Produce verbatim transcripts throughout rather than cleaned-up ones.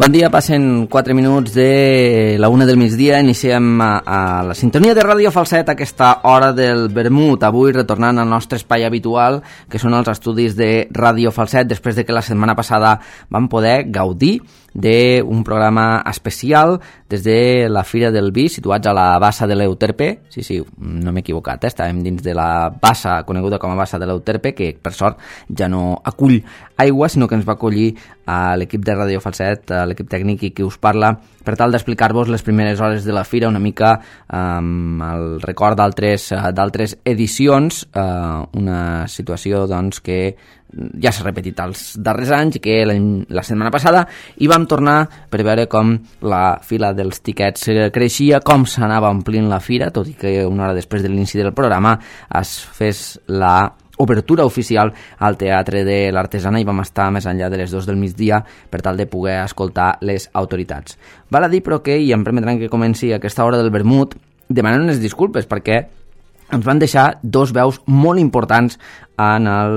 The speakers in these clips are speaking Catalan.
Bon dia, passen quatre minuts de la una del migdia, iniciem a, a la sintonia de Ràdio Falset aquesta hora del vermut, avui retornant al nostre espai habitual, que són els estudis de Ràdio Falset, després de que la setmana passada vam poder gaudir d'un programa especial des de la Fira del Vi, situats a la Bassa de l'Euterpe. Sí, sí, no m'he equivocat, eh? Estàvem dins de la bassa coneguda com a Bassa de l'Euterpe, que per sort ja no acull aigua, sinó que ens va acollir a l'equip de Ràdio Falset, a l'equip tècnic i qui us parla, per tal d'explicar-vos les primeres hores de la Fira, una mica amb um, el record d'altres d'altres edicions, uh, una situació doncs, que ja s'ha repetit els darrers anys i que la setmana passada hi vam tornar per veure com la fila dels tiquets creixia, com s'anava omplint la fira, tot i que una hora després de l'inici del programa es fes la obertura oficial al Teatre de l'Artesana i vam estar més enllà de les dues del migdia per tal de poder escoltar les autoritats. Val a dir, però, que, i em permetran que comenci aquesta hora del vermut, demanant unes disculpes perquè ens van deixar dos veus molt importants en el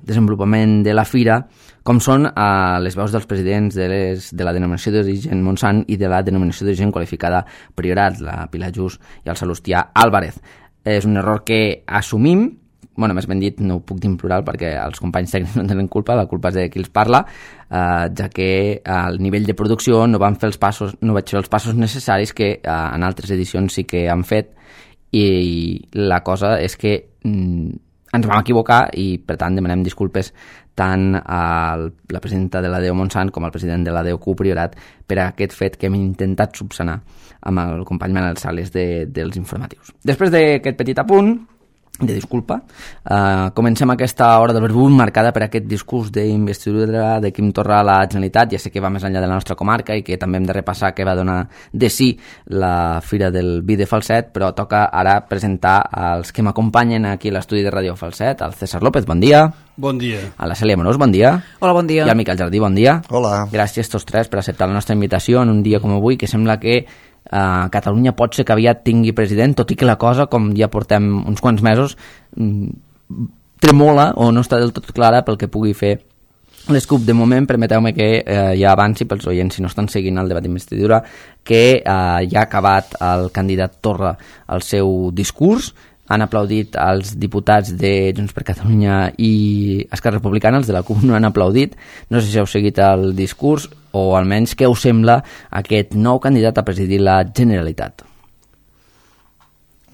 desenvolupament de la fira, com són eh, les veus dels presidents de, les, de la denominació d'origen Montsant i de la denominació d'origen qualificada Priorat, la Pilar Just i el Salustià Álvarez. És un error que assumim, bueno, més ben dit, no ho puc dir en plural perquè els companys tècnics no tenen culpa, la culpa és de qui els parla, eh, ja que al nivell de producció no van fer els passos, no vaig fer els passos necessaris que eh, en altres edicions sí que han fet, i la cosa és que mm, ens vam equivocar i per tant demanem disculpes tant a la presidenta de l'A D E U Montsant com al president de l'A D E U Q Priorat per aquest fet que hem intentat subsanar amb el company Manel Sales de, dels informatius. Després d'aquest petit apunt de disculpa, uh, comencem aquesta hora del vermut marcada per aquest discurs d'investidura de Quim Torra a la Generalitat. Ja sé que va més enllà de la nostra comarca i que també hem de repassar què va donar de sí la Fira del Vi de Falset, però toca ara presentar els que m'acompanyen aquí a l'estudi de Ràdio Falset, el César López, bon dia. Bon dia. A la Cèlia Morós, bon dia. Hola, bon dia. I al Miquel Jardí, bon dia. Hola. Gràcies tots tres per acceptar la nostra invitació en un dia com avui, que sembla que Uh, Catalunya pot ser que aviat tingui president, tot i que la cosa, com ja portem uns quants mesos, tremola o no està del tot clara pel que pugui fer l'Scoop. De moment, permeteu-me que uh, ja avanci pels oients, si no estan seguint el debat d'investidura, que uh, ja ha acabat el candidat Torra el seu discurs. Han aplaudit els diputats de Junts per Catalunya i Esquerra Republicana, els de la CUP no han aplaudit. No sé si heu seguit el discurs o almenys què us sembla aquest nou candidat a presidir la Generalitat.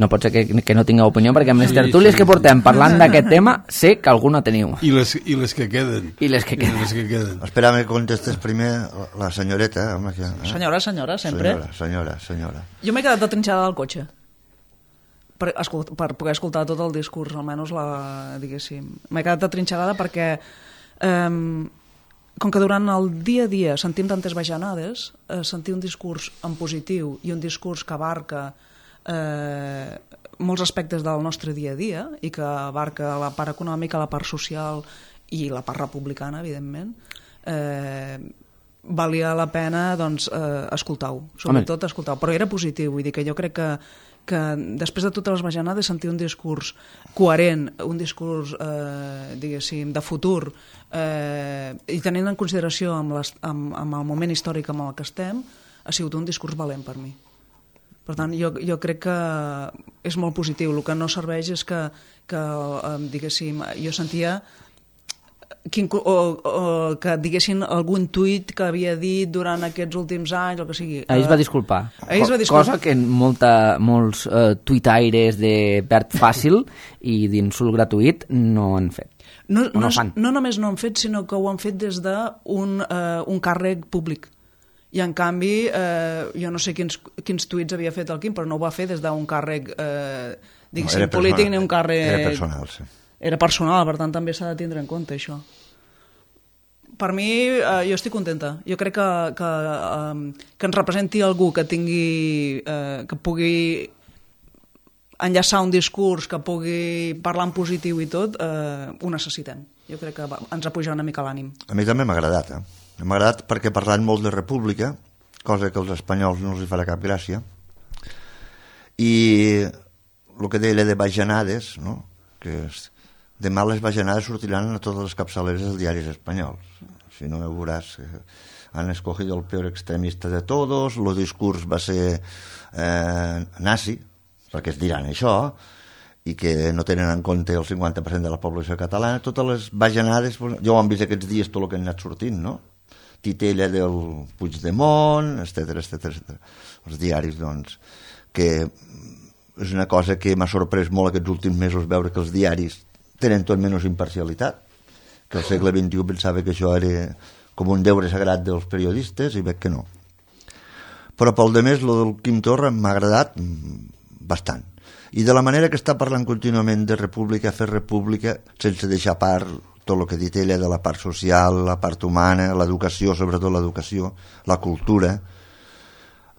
No pot ser que, que no tingueu opinió, perquè amb les tertúlies sí, sí, que portem parlant d'aquest tema sé que alguna teniu. I les, i les que queden. I les que queden. I les que queden. Espera'm que contestes primer la senyoreta. Home, que, eh? Senyora, senyora, sempre. Senyora, senyora, senyora. Jo m'he quedat de trinxada al cotxe per, escolt, per poder escoltar tot el discurs, almenys la, diguéssim. M'he quedat de trinxada perquè um, com que durant el dia a dia sentim tantes bajanades, eh, sentir un discurs en positiu i un discurs que abarca eh, molts aspectes del nostre dia a dia i que abarca la part econòmica, la part social i la part republicana, evidentment, eh, valia la pena doncs, eh, escoltar-ho, sobretot escoltar-ho, però era positiu, vull dir que jo crec que que després de totes les bajanades sentir un discurs coherent, un discurs eh, diguéssim, de futur eh, i tenint en consideració amb, les, amb, amb el moment històric en el que estem, ha sigut un discurs valent per mi. Per tant, jo, jo crec que és molt positiu. El que no serveix és que, que eh, diguéssim, jo sentia Quin, o, o que diguessin algun tuit que havia dit durant aquests últims anys, el que sigui. Ahir es va disculpar. Ahir es va disculpar. Cosa que molta, molts uh, tuitaires de verd fàcil i d'insult gratuït no han fet. No, no, no, no només no han fet, sinó que ho han fet des d'un uh, un càrrec públic. I en canvi, eh, jo no sé quins, quins tuits havia fet el Quim, però no ho va fer des d'un càrrec eh, diguéssim, no, polític personal, ni un càrrec... Era personal, sí. Era personal, per tant també s'ha de tindre en compte això. Per mi, eh, jo estic contenta. Jo crec que, que, eh, que ens representi algú que tingui, eh, que pugui enllaçar un discurs, que pugui parlar en positiu i tot, eh, ho necessitem. Jo crec que va, ens ha pujat una mica l'ànim. A mi també m'ha agradat, eh? M'ha agradat perquè parlant molt de república, cosa que als espanyols no els hi farà cap gràcia, i el que deia de bajanades, no? Que és, demà les bajanades sortiran a totes les capçaleres dels diaris espanyols. si no me veuràs, han escogido el peor extremista de todos, el discurs va ser eh, nazi, perquè es diran això, i que no tenen en compte el cinquanta per cent de la població catalana, totes les bajanades, jo ho hem vist aquests dies tot el que han anat sortint, no? Titella del Puigdemont, etcètera, etcètera, etcètera. Els diaris, doncs, que és una cosa que m'ha sorprès molt aquests últims mesos veure que els diaris tenen tot menys imparcialitat, que al segle vint-i-u pensava que això era com un deure sagrat dels periodistes i veig que no. Però pel de més, el del Quim Torra m'ha agradat bastant. I de la manera que està parlant contínuament de república, fer república, sense deixar a part tot el que ha dit ella de la part social, la part humana, l'educació, sobretot l'educació, la cultura.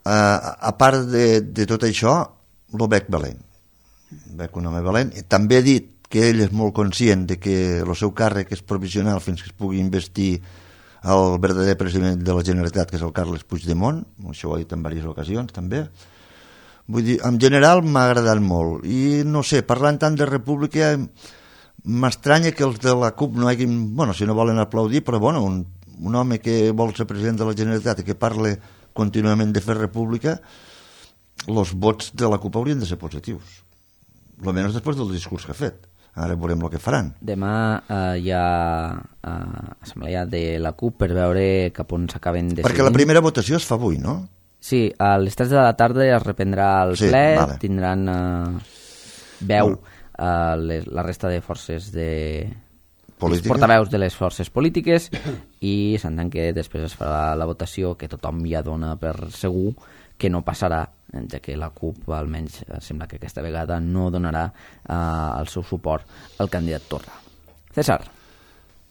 Uh, a part de, de tot això, el veig valent. Veig un home valent. També ha dit que ell és molt conscient de que el seu càrrec és provisional fins que es pugui investir el verdader president de la Generalitat, que és el Carles Puigdemont, això ho ha dit en diverses ocasions també. Vull dir, en general m'ha agradat molt i no sé, parlant tant de república m'estranya que els de la CUP no hagin, bueno, si no volen aplaudir, però bueno, un, un home que vol ser president de la Generalitat i que parle contínuament de fer república, els vots de la CUP haurien de ser positius, almenys després del discurs que ha fet. Ara veurem el que faran. Demà eh, hi ha eh, assemblea de la CUP per veure cap on s'acaben decidint. Perquè la primera votació es fa avui, no? Sí, a les tres de la tarda es reprendrà el sí, ple, vale. Tindran eh, veu eh, les, la resta de forces de... els portaveus de les forces polítiques i s'entén que després es farà la votació que tothom ja dona per segur que no passarà, ja que la CUP almenys sembla que aquesta vegada no donarà eh, el seu suport al candidat Torra. César.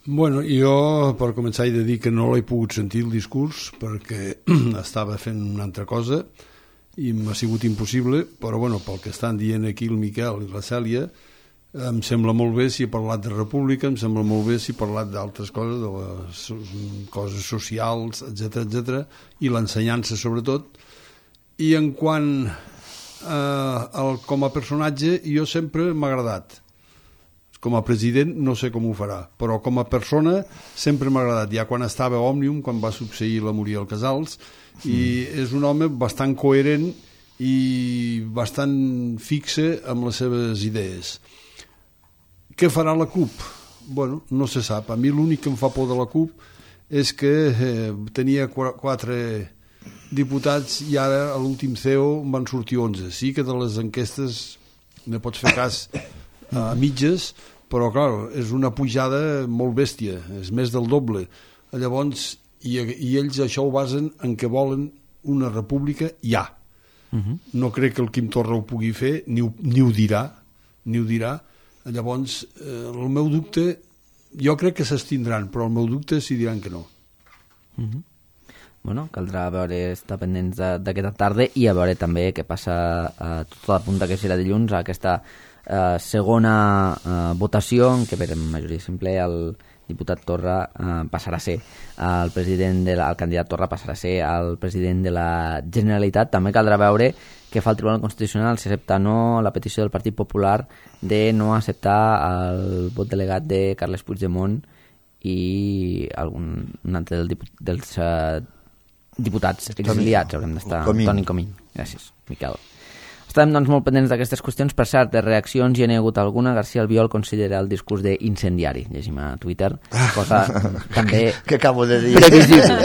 Bueno, jo per començar he de dir que no l'he pogut sentir el discurs perquè estava fent una altra cosa i m'ha sigut impossible, però bueno, pel que estan dient aquí el Miquel i la Cèlia, em sembla molt bé si he parlat de república, em sembla molt bé si he parlat d'altres coses, de les coses socials, etcètera, etcètera, i l'ensenyança sobretot. I en quant eh, el, com a personatge, jo sempre m'ha agradat. Com a president no sé com ho farà, però com a persona sempre m'ha agradat, ja quan estava a Òmnium, quan va succeir la Muriel Casals, i és un home bastant coherent i bastant fixe amb les seves idees. Què farà la CUP? Bueno, no se sap. A mi l'únic que em fa por de la CUP és que eh, tenia quatre diputats i ara a l'últim C E O van sortir onze. Sí que de les enquestes ne pots fer cas a mitges, però clar, és una pujada molt bèstia, és més del doble. Llavors, i, i ells això ho basen en que volen una república ja. Uh-huh. No crec que el Quim Torra ho pugui fer, ni ho, ni ho dirà, ni ho dirà. Llavors, eh, el meu dubte, jo crec que s'estindran, però el meu dubte és si diran que no. Uh-huh. Bueno, caldrà veure, estar pendents d'aquesta tarda i a veure també què passa a tota la punta que serà dilluns, a aquesta Uh, segona uh, votació en què per majoria simple el diputat Torra uh, passarà a ser el president de la, el candidat Torra passarà a ser el president de la Generalitat. També caldrà veure què fa el Tribunal Constitucional, si accepta o no la petició del Partit Popular de no acceptar el vot delegat de Carles Puigdemont i algun un altre del dipu, dels uh, diputats exiliats. Haurem d'estar. Comín. Toni Comín. Gràcies, Miquel. Estem doncs, molt pendents d'aquestes qüestions. Per cert, de reaccions hi ha hagut alguna. García Albiol considera el discurs d'incendiari, llegim a Twitter, cosa també que acabo de dir previsible.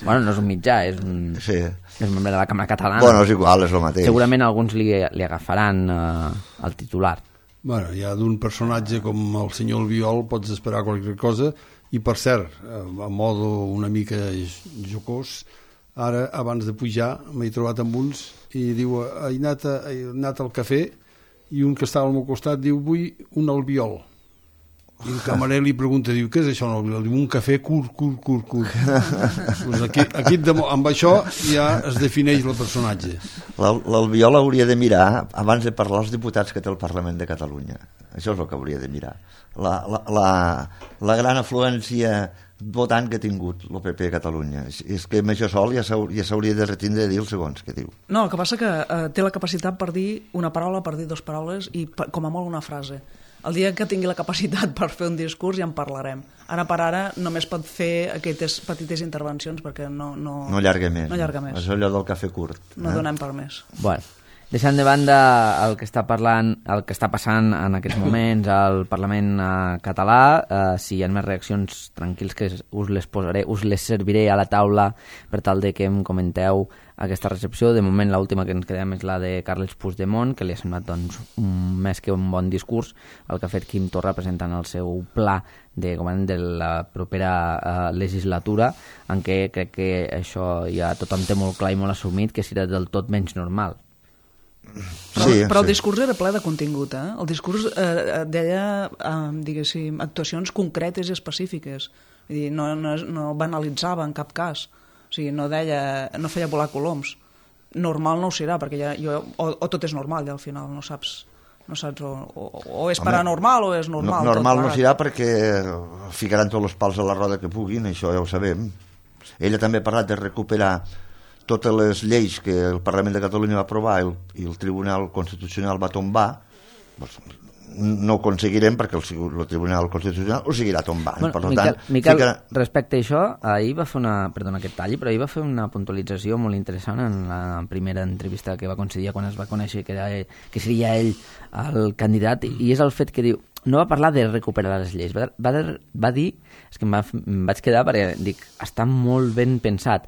Bueno, no és un mitjà, és un, sí. és un membre de la Cambra Catalana. Bueno, és igual, és el mateix. Segurament alguns li, li agafaran eh, el titular. Bueno, ja d'un personatge com el senyor Albiol pots esperar qualsevol cosa, i per cert, a modo una mica jocós, ara, abans de pujar, m'he trobat amb uns i diu, he anat, a, he anat al cafè i un que estava al meu costat diu, vull un albiol. I el camarer li pregunta, diu, què és això un albiol? Diu, un cafè curt, curt, curt, curt. Pues aquí, aquí amb això ja es defineix el personatge. L'albiol hauria de mirar, abans de parlar, els diputats que té el Parlament de Catalunya. Això és el que hauria de mirar. La, la, la, la gran afluència votant que ha tingut el P P a Catalunya. És que amb això sol ja s'hauria de retindre de dir els segons que diu. No, el que passa que eh, té la capacitat per dir una paraula, per dir dues paraules i per, com a molt una frase. El dia que tingui la capacitat per fer un discurs ja en parlarem. Ara per ara només pot fer aquestes petites intervencions perquè no... No, no allarga més. No allarga més. És allò del cafè curt. No eh? donem per més. Bueno, deixant de banda el que està parlant, el que està passant en aquests moments al Parlament eh, català, eh, si hi ha més reaccions, tranquils que us les posaré, us les serviré a la taula per tal de que em comenteu aquesta recepció. De moment l'última que ens quedem és la de Carles Puigdemont, que li ha semblat doncs, un, més que un bon discurs el que ha fet Quim Torra presentant el seu pla de govern de la propera eh, legislatura, en què crec que això ja tothom té molt clar i molt assumit que serà del tot menys normal. Però, sí, però el sí. discurs era ple de contingut, eh? El discurs eh, deia, eh, diguéssim, actuacions concretes i específiques. Vull dir, no, no, no banalitzava en cap cas. O sigui, no deia, no feia volar coloms. Normal no ho serà, perquè ja, jo, o, o tot és normal, ja al final, no saps, no saps o, o, o és paranormal o és normal. No, normal tot no serà perquè ficaran tots els pals a la roda que puguin, això ja ho sabem. Ella també ha parlat de recuperar totes les lleis que el Parlament de Catalunya va aprovar i el, i el Tribunal Constitucional va tombar. Doncs, no ho aconseguirem perquè el, el Tribunal Constitucional ho seguirà tombant. Bueno, per Miquel, tant, Miquel ficarà... respecte a això, ahir va fer una, perdona aquest tall, però ahir va fer una puntualització molt interessant en la primera entrevista que va concedir quan es va conèixer que, era, que seria ell el candidat, i és el fet que diu, no va parlar de recuperar les lleis, va, va, va dir, és que em, va, em vaig quedar perquè dic, està molt ben pensat,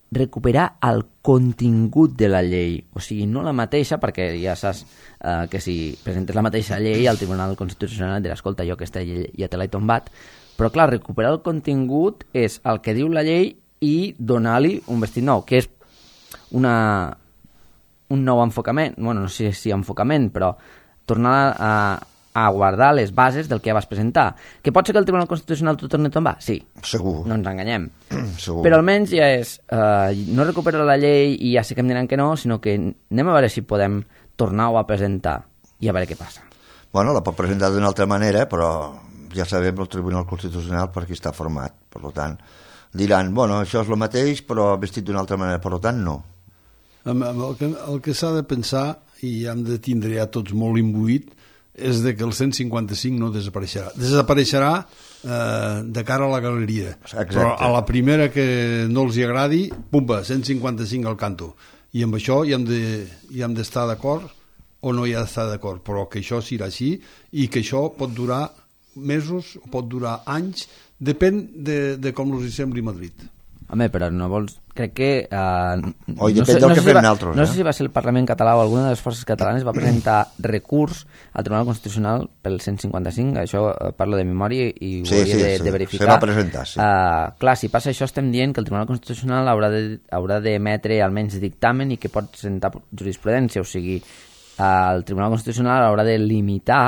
recuperar el contingut de la llei, o sigui, no la mateixa, perquè ja saps eh, que si presentes la mateixa llei al Tribunal Constitucional dirà, escolta, jo aquesta llei ja te l'he tombat, però clar, recuperar el contingut és el que diu la llei i donar-li un vestit nou, que és una, un nou enfocament, bueno, no sé si enfocament, però tornar a, a guardar les bases del que ja vas presentar. Que pot ser que el Tribunal Constitucional t'ho torni a tombar? Sí. Segur. No ens enganyem. Segur. Però almenys ja és, eh, no recuperar la llei i ja sé que em diran que no, sinó que anem a veure si podem tornar-ho a presentar i a veure què passa. Bueno, la pot presentar d'una altra manera, però ja sabem el Tribunal Constitucional per qui està format. Per tant, diran, bueno, això és el mateix, però vestit d'una altra manera. Per tant, no. El que, el que s'ha de pensar, i hem de tindre ja tots molt imbuït, és de que el cent cinquanta cinc no desapareixerà. Desapareixerà eh, de cara a la galeria. Exacte. Però a la primera que no els hi agradi, pumba, cent cinquanta cinc al canto. I amb això hi hem de, hi hem d'estar d'acord o no hi ha d'estar d'acord, però que això serà així i que això pot durar mesos, pot durar anys, depèn de, de com els hi sembli Madrid. Home, però no vols... Crec que... Uh, Oi, no depèn sé, del no que sé si fem va, nosaltres. No eh? sé si va ser el Parlament català o alguna de les forces catalanes va presentar recurs al Tribunal Constitucional pel cent cinquanta cinc, això uh, parlo de memòria i ho Sí, hauria sí, de, sí. de verificar. Se va presentar, sí. Uh, clar, si passa això estem dient que el Tribunal Constitucional haurà de, haurà d'emetre almenys dictamen i que pot presentar jurisprudència, o sigui, uh, el Tribunal Constitucional haurà de limitar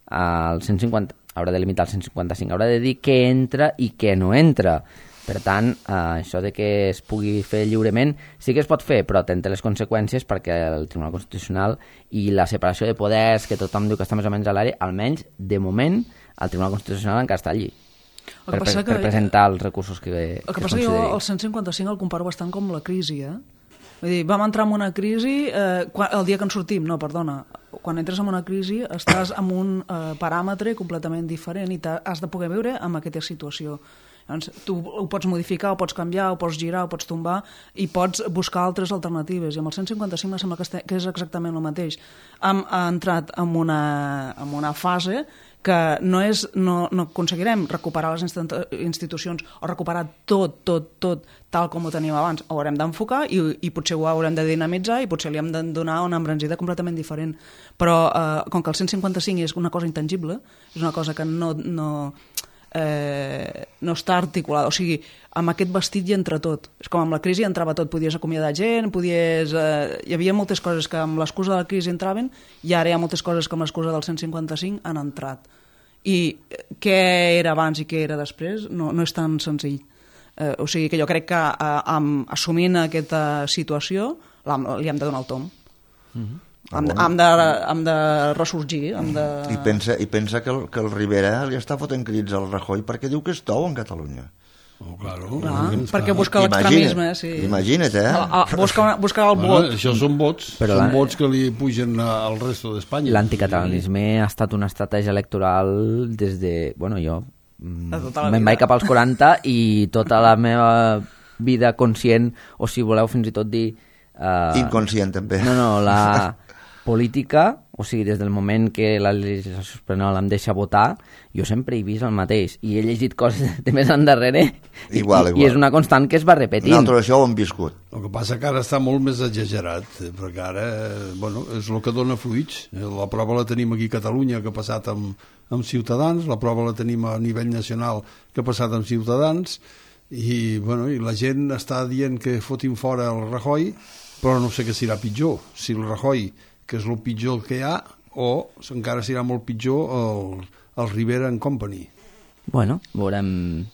el cent cinquanta, haurà de limitar el cent cinquanta cinc, haurà de dir què entra i què no entra. Per tant, eh, això de que es pugui fer lliurement sí que es pot fer, però té les conseqüències perquè el Tribunal Constitucional i la separació de poders, que tothom diu que està més o menys a l'àrea, almenys, de moment, el Tribunal Constitucional encara està allí per, per, que, per presentar els recursos que, el que, que passa que jo el cent cinquanta cinc el comparo bastant com la crisi, eh? Vull dir, vam entrar en una crisi eh, quan, el dia que en sortim, no, perdona, quan entres en una crisi estàs en un eh, paràmetre completament diferent i has de poder viure amb aquesta situació. Llavors, tu ho pots modificar, ho pots canviar, ho pots girar, ho pots tombar i pots buscar altres alternatives. I amb el cent cinquanta cinc me sembla que, este, que és exactament el mateix. Hem entrat en una, en una fase que no, és, no, no aconseguirem recuperar les institucions o recuperar tot, tot, tot tal com ho teníem abans. Ho haurem d'enfocar i, i potser ho haurem de dinamitzar i potser li hem de donar una embranzida completament diferent. Però eh, com que el cent cinquanta cinc és una cosa intangible, és una cosa que no... no Eh, no està articulada, o sigui, amb aquest vestit hi entra tot. És com amb la crisi entrava tot, podies acomiadar gent, podies... Eh, hi havia moltes coses que amb l'excusa de la crisi entraven i ara hi ha moltes coses que amb l'excusa del cent cinquanta cinc han entrat. I què era abans i què era després no, no és tan senzill. Eh, o sigui que jo crec que eh, amb, assumint aquesta situació li hem de donar el tom. Mm-hmm. Hem de, hem, de, hem de ressorgir, hem de... I pensa, i pensa que, el, que el Rivera li està fotent crits al Rajoy perquè diu que és tou en Catalunya. Oh, claro. Clar, perquè busca l'extremisme, sí. Imagina't, eh? A, a, busca, busca el Bueno, vot. això són vots, Però són la- vots que li pugen a- al resto d'Espanya. L'anticatalanisme ha estat una estratègia electoral des de... Bueno, jo De tota la me'n vida. vaig cap als quaranta i tota la meva vida conscient, o si voleu fins i tot dir... Uh, Inconscient, també. No, no, la política, o sigui, des del moment que la legislació espanyola em deixa votar, jo sempre he vist el mateix, i he llegit coses de més endarrere, Igual, i, igual. i és una constant que es va repetint. Nosaltres això ho hem viscut. El que passa que ara està molt més exagerat, eh, perquè ara, eh, bueno, és el que dona fruits. Eh, La prova la tenim aquí a Catalunya, que ha passat amb, amb Ciutadans, la prova la tenim a nivell nacional, que ha passat amb Ciutadans, i, bueno, i la gent està dient que fotin fora el Rajoy, però no sé què serà pitjor, si el Rajoy, que és el pitjor que hi ha, o encara serà molt pitjor el, el Rivera and Company. Bueno, veurem,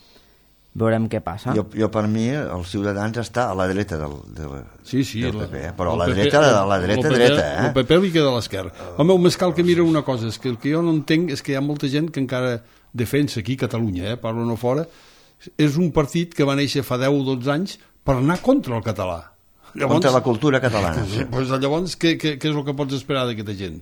veurem què passa. Jo, jo per mi, els Ciutadans està a la dreta del, del, Sí, sí, del la- P P, eh? però a el la P P dreta, a la dreta, el P P, dreta, eh? El P P li queda a l'esquerra. Home, el més cal que mira una cosa, és que el que jo no entenc és que hi ha molta gent que encara defensa aquí a Catalunya, eh? Parlo no fora, és un partit que va néixer fa deu o dotze anys per anar contra el català. Contra la cultura catalana. Sí, doncs llavors, què, què, què és el que pots esperar d'aquesta gent?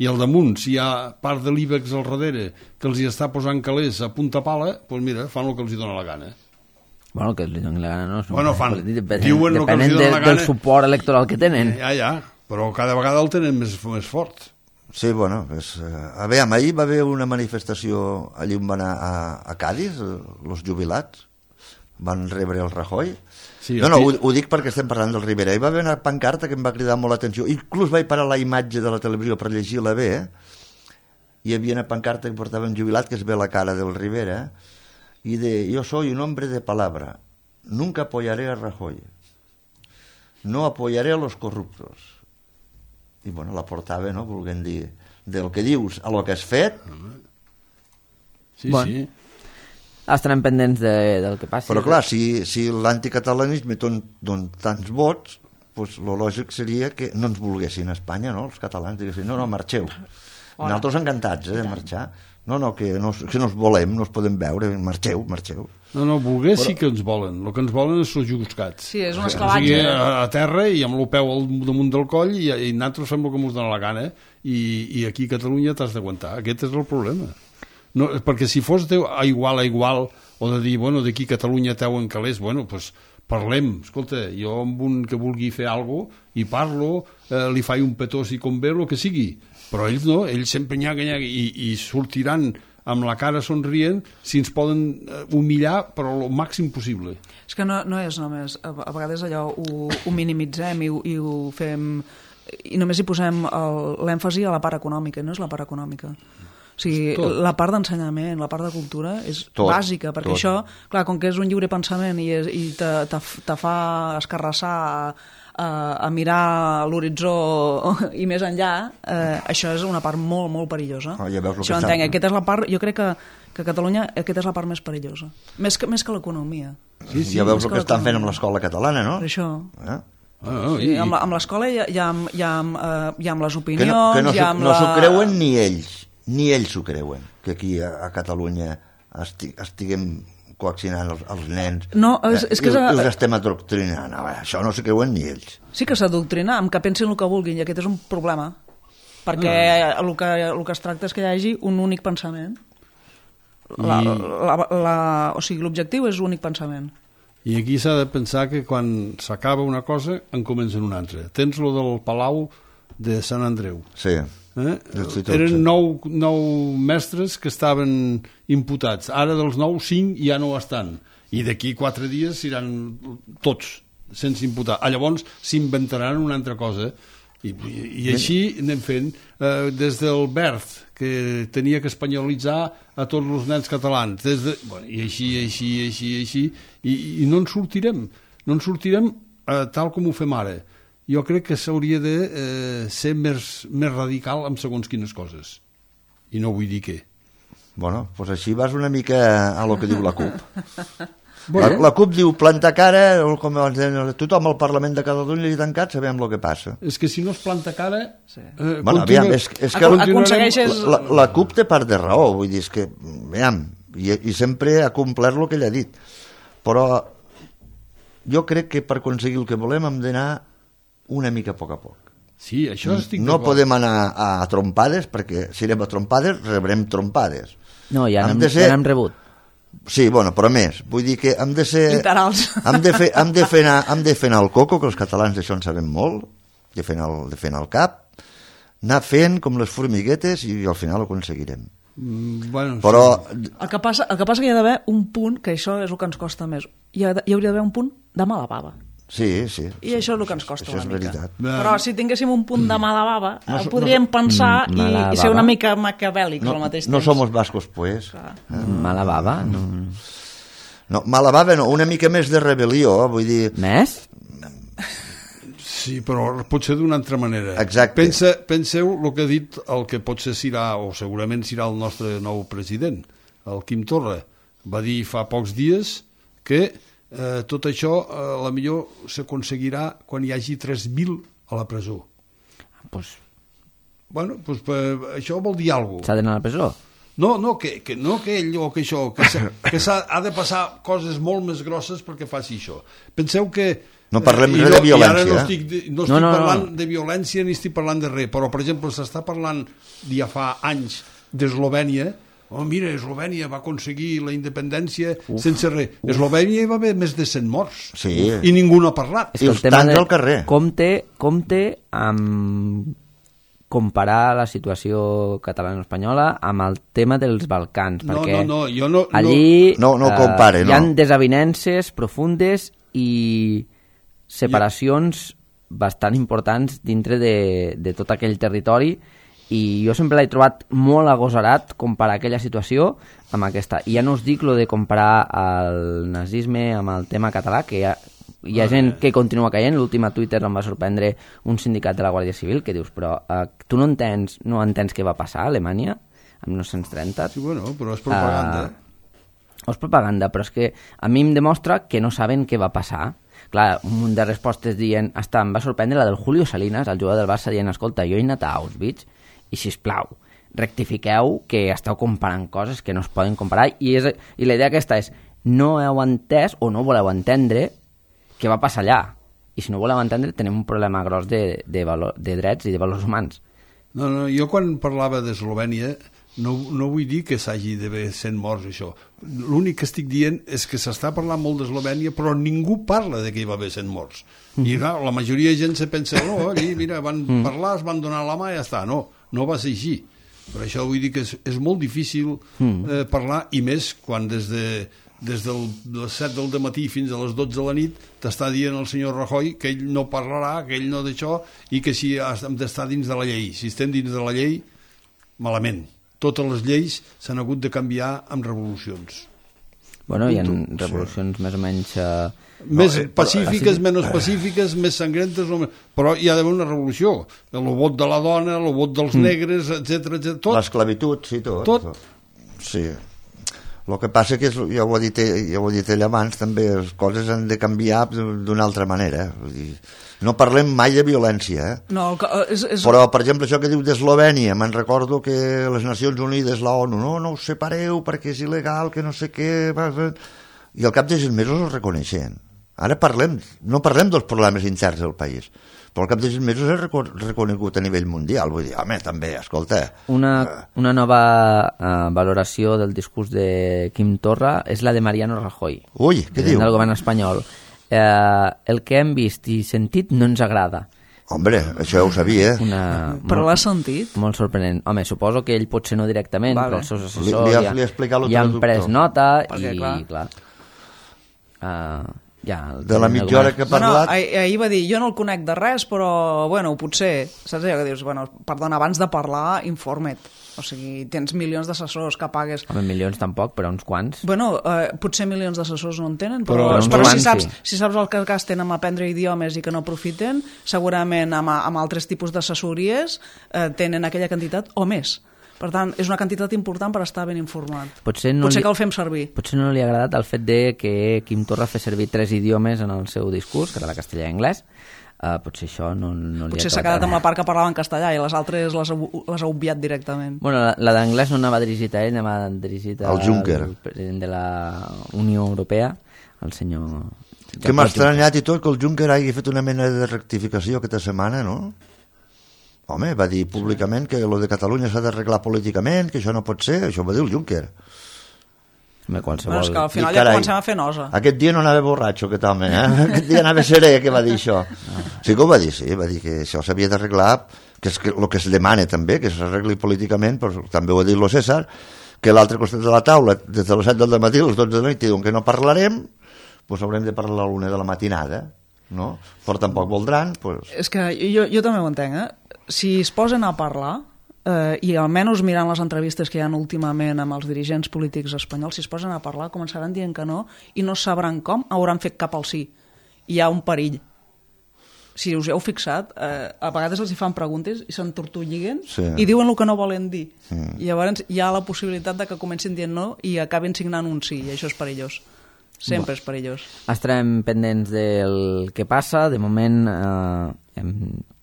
I al damunt, si hi ha part de l'Ibex al darrere que els hi està posant calés a punta pala, doncs mira, fan el que els hi dona la gana. Bueno, que els donin la gana, no? Bueno, fan. Depenen, Diuen el que els depenen dona de, la gana. del suport electoral que tenen. Ja, ja, però cada vegada el tenen més, més fort. Sí, bueno, és, eh, a veure, ahir va haver una manifestació allí on van anar a, a Cádiz, els jubilats, van rebre el Rajoy. Sí, no, no, aquí- ho, ho dic perquè estem parlant del Rivera. Hi va haver una pancarta que em va cridar molt l'atenció. Inclús vaig parar la imatge de la televisió per llegir-la bé, eh? Hi havia una pancarta que portava un jubilat que es ve la cara del Rivera, i de, yo soy un hombre de palabra, nunca apoyaré a Rajoy, no apoyaré a los corruptos. I bueno, la portava, no?, volguem dir, del que dius a lo que has fet. Sí, Bueno. sí. Estarem pendents de, del que passi. Però clar, si, si l'anticatalanisme don, don tants vots, pues, lo lògic seria que no ens volguessin a Espanya, no?, els catalans, diguessin, no, no, marxeu. Nosaltres encantats, eh, de marxar. No, no, que no, que no us volem, no us podem veure, marxeu, marxeu. No, no, voler sí que ens volen. El que ens volen és els juscats. Sí, és un O esclavatge. sigui, a, a terra i amb el peu al damunt del coll i, i nosaltres fem el que ens dona la gana i, i aquí a Catalunya t'has d'aguantar. Aquest és el problema. No, perquè si fos de, a igual a igual o de dir, bueno, d'aquí a Catalunya teuen calés, bueno, doncs parlem. Escolta, jo amb un que vulgui fer alguna cosa i parlo, eh, li faig un petó si convé, el que sigui. Però ells no, ells sempre nyaga, nyaga i, i sortiran amb la cara somrient si ens poden eh, humillar però el màxim possible. És que no, no és només, a, a vegades allò ho, ho minimitzem i, ho- i ho fem i només hi posem el- l'èmfasi a la part econòmica, no és la part econòmica. O sigui, Tot. la part d'ensenyament, la part de cultura és Tot, bàsica, perquè tot. això, clar, com que és un lliure pensament i, és, i te, te, te fa escarrassar a, a, a mirar l'horitzó i més enllà, eh, això és una part molt, molt perillosa. Ah, ja veus el que això està- entenc, aquesta és la part, jo crec que, que a Catalunya aquesta és la part més perillosa, més que, més que l'economia. Sí, sí. Ja veus és el que que estan fent amb l'economia. l'escola catalana, no? Per això... Eh? Ah, no, Sí, i, amb, la- amb l'escola hi ha, hi ha, hi ha, eh, hi ha amb les Que opinions, no, que no, hi ha s'ho- amb no la... s'ho creuen ni ells, ni ells s'ho creuen, que aquí a, a Catalunya esti, estiguem coaccionant els, els nens. No, és- és que i, és a- i els estem adoctrinant. No, això no s'ho creuen ni ells. Sí que s'adoctrina amb que pensin el que vulguin, i aquest és un problema, perquè Ah. el, que, el que es tracta és que hi hagi un únic pensament. La, I- la, la, o sigui, l'objectiu és l'únic pensament. I aquí s'ha de pensar que quan s'acaba una cosa en comencen una altra. Tens lo del Palau de Sant Andreu. Sí. Eh? L'institut, Eren sí. nou, nou mestres que estaven imputats. Ara dels nou, cinc ja no ho estan. I d'aquí quatre dies seran tots sense imputar. Ah, llavors s'inventaran una altra cosa. I, i, i així anem fent. Eh, des del Berth, que tenia que espanyolitzar a tots els nens catalans. Des de, bueno, I així, així, així, així. I, i no en sortirem. No en sortirem eh, tal com ho fem ara. Jo crec que s'hauria de eh, ser més, més radical amb segons quines coses. I no vull dir què. Bueno, doncs així vas una mica a lo que diu la CUP. Bueno. La, la CUP diu planta cara, o com abans deien, tothom al Parlament de Catalunya i tancat, sabem el que passa. És que si no es planta cara... Sí. Eh, Bueno, continua- aviam, és, és que Acon- continuarem- aconsegueixes- la, la, la CUP té part de raó, vull dir, és que, aviam, i, i sempre ha complert el que ell ha dit. però jo crec que per aconseguir el que volem hem d'anar una mica a poc a poc. Sí, això estic No d'acord. podem anar a trompades, perquè si anem a trompades rebrem trompades. No, ja Hem n'hem de ser- ja n'hem rebut. Sí, bueno, però més. Vull dir que hem de ser... Literals. Hem de fer, hem de fer, anar, hem de fer anar el coco, que els catalans d'això en sabem molt, de fer anar el, de fer anar el cap, anar fent com les formiguetes i al final ho aconseguirem. Mm, bueno, Però sí. El que passa, el que passa que hi ha d'haver un punt, que això és el que ens costa més, hi, ha, hi hauria d'haver un punt de mala bava. sí, sí. I sí, això és el que ens costa això una és mica. veritat. Però si tinguéssim un punt de mala bava, No no, so- podríem pensar Mm, mala i, i ser bava. una mica maquiavèlics No, al mateix no temps. somos vascos, pues. Mala bava? No. No, mala bava no, una mica més de rebel·lió, vull dir... Més? Sí, però potser d'una altra manera. Exacte. Pensa, penseu el que ha dit el que potser serà, o segurament serà el nostre nou president, el Quim Torra. Va dir fa pocs dies que eh, tot això eh, a la millor s'aconseguirà quan hi hagi tres mil a la presó. Pues, Bueno, doncs, eh, això vol dir alguna cosa. s'ha d'anar a la presó? No, no, que, que, no que ell o que això, que, s'ha- que s'ha, ha de passar coses molt més grosses perquè faci això. Penseu que... No parlem eh, i res de I ara violència, no eh? estic, de- no No, estic no, no. parlant de violència ni estic parlant de res, però, per exemple, s'està parlant ja fa anys d'Eslovènia. Oh, mira, Eslovènia va aconseguir la independència uf, sense res. A Eslovènia hi va haver més de cent morts. Sí. I ningú no ha parlat. És I que el els tema tancs de... al carrer. Compte, compte amb comparar la situació catalana-espanyola amb el tema dels Balcans, No, perquè no, no, jo no- allí no- no eh, compare, hi ha no. desavinences profundes i separacions bastant importants dintre de, de tot aquell territori, i jo sempre l'he trobat molt agosarat comparar aquella situació amb aquesta. I ja no us dic lo de comparar el nazisme amb el tema català, que hi ha, hi ha gent que continua caient. L'últim a Twitter em va sorprendre un sindicat de la Guàrdia Civil que dius, però eh, tu no entens, no entens què va passar a Alemanya en mil nou-cents trenta? Sí, bueno, però és propaganda. Uh, és propaganda, però és que a mi em demostra que no saben què va passar. Clar, un munt de respostes dient... Hasta em va sorprendre la del Julio Salinas, el jugador del Barça, dient, escolta, jo he anat a Auschwitz i, sisplau, rectifiqueu que esteu comparant coses que no es poden comparar, i, és, i la idea aquesta és, no heu entès o no voleu entendre què va passar allà, i si no voleu entendre tenim un problema gros de, de, valor, de drets i de valors humans. No, no, jo quan parlava d'Eslovènia no, no vull dir que s'hagi d'haver cent morts, això. L'únic que estic dient és que s'està parlant molt d'Eslovènia, però ningú parla de que hi va haver cent morts. I clar, la majoria de gent se pensa, no, allí, mira, van parlar, es van donar la mà i ja està. No, no va ser així. Per això vull dir que és, és molt difícil eh, parlar, i més quan des de des de les set del dematí fins a les dotze de la nit t'està dient el senyor Rajoy que ell no parlarà, que ell no d'això, i que si hem d'estar dins de la llei. Si estem dins de la llei, malament. Totes les lleis s'han hagut de canviar amb revolucions. Bueno, hi ha Punto. revolucions més o menys... Eh, Més eh, pacífiques, menys pacífiques, més sangrientes, o més... però hi ha d'haver una revolució. El vot de la dona, el vot dels negres, etcètera, etcètera, tot. L'esclavitud, sí, tot. Tot. Sí. El que passa que, és, ja, ho he dit, ja ho he dit ell abans, també les coses han de canviar d'una altra manera. Vull dir, no parlem mai de violència, eh? No, el que- és, és... Però, per exemple, això que diu d'Eslovènia, me'n recordo que les Nacions Unides, la ONU, no, no us separeu perquè és il·legal, que no sé què... va, va. I al cap de sis mesos ho reconeixen. Ara parlem, no parlem dels problemes interns del país, però al cap de sis mesos és reco reconegut a nivell mundial. Vull dir, home, també, escolta... Una, una nova uh, valoració del discurs de Quim Torra és la de Mariano Rajoy, Ui, què president diu? del govern espanyol. Uh, el que hem vist i sentit no ens agrada. Hombre, això ja ho sabia. Una, Però molt, l'has sentit? molt sorprenent. Home, suposo que ell potser no directament, Vale. però els seus Li- assessors li has- ja, li ha explicat lo ja han traductor. pres nota. Perquè, i, clar. clar, uh, ja, el De la president del mitja hora govern- que ha Bueno, parlat... ahir, ahir va dir, jo no el conec de res, però, bueno, potser, saps allò que dius, bueno, perdona, abans de parlar, informa't. O sigui, tens milions d'assessors que pagues... Home, milions tampoc, però uns quants. Bueno, eh, potser milions d'assessors no en tenen, però, Però però, uns però si, quants, saps, sí. si saps el que gasten en aprendre idiomes i que no aprofiten, segurament amb, amb altres tipus d'assessories eh, tenen aquella quantitat o més. Per tant, és una quantitat important per estar ben informat. Potser no Potser li- que el fem servir. Potser no li ha agradat el fet de que Quim Torra fes servir tres idiomes en el seu discurs, català, castellà i anglès. Uh, potser això no, no li Potser ha s'ha acabat quedat amb la part que parlava en castellà i les altres les ha, les ha obviat directament. Bueno, la, la d'anglès no anava dirigit a ell, anava dirigit Al Juncker. al president de la Unió Europea, el senyor... Que m'ha estranyat i tot que el Juncker hagi fet una mena de rectificació aquesta setmana, no? Home, va dir públicament que lo de Catalunya s'ha d'arreglar políticament, que això no pot ser, això va dir el Juncker. Home, qualsevol... Bueno, és que al final I, ja carai, comencem a fer nosa. Aquest dia no anava borratxo, aquest home, eh? Aquest dia anava serè, que va dir això. Sí que ho va dir, sí, va dir que això s'havia d'arreglar, que és el que es demana també, que s'arregli políticament, però també ho ha dit lo César, que l'altre costat de la taula, des de les set del matí a les dotze de la nit, diuen que no parlarem, doncs haurem de parlar a l'una de la matinada, no? Però tampoc voldran, doncs... És que jo, jo també ho entenc, eh? Si es posen a parlar, eh, i almenys mirant les entrevistes que hi ha últimament amb els dirigents polítics espanyols, si es posen a parlar començaran dient que no i no sabran com hauran fet cap al sí. Hi ha un perill. Si us heu fixat, eh, a vegades els hi fan preguntes i s'entortolliguen Sí. i diuen el que no volen dir. Mm. I llavors hi ha la possibilitat de que comencin dient no i acabin signant un sí, i això és perillós. Sempre és perillós. Estarem pendents del que passa. De moment eh, hem,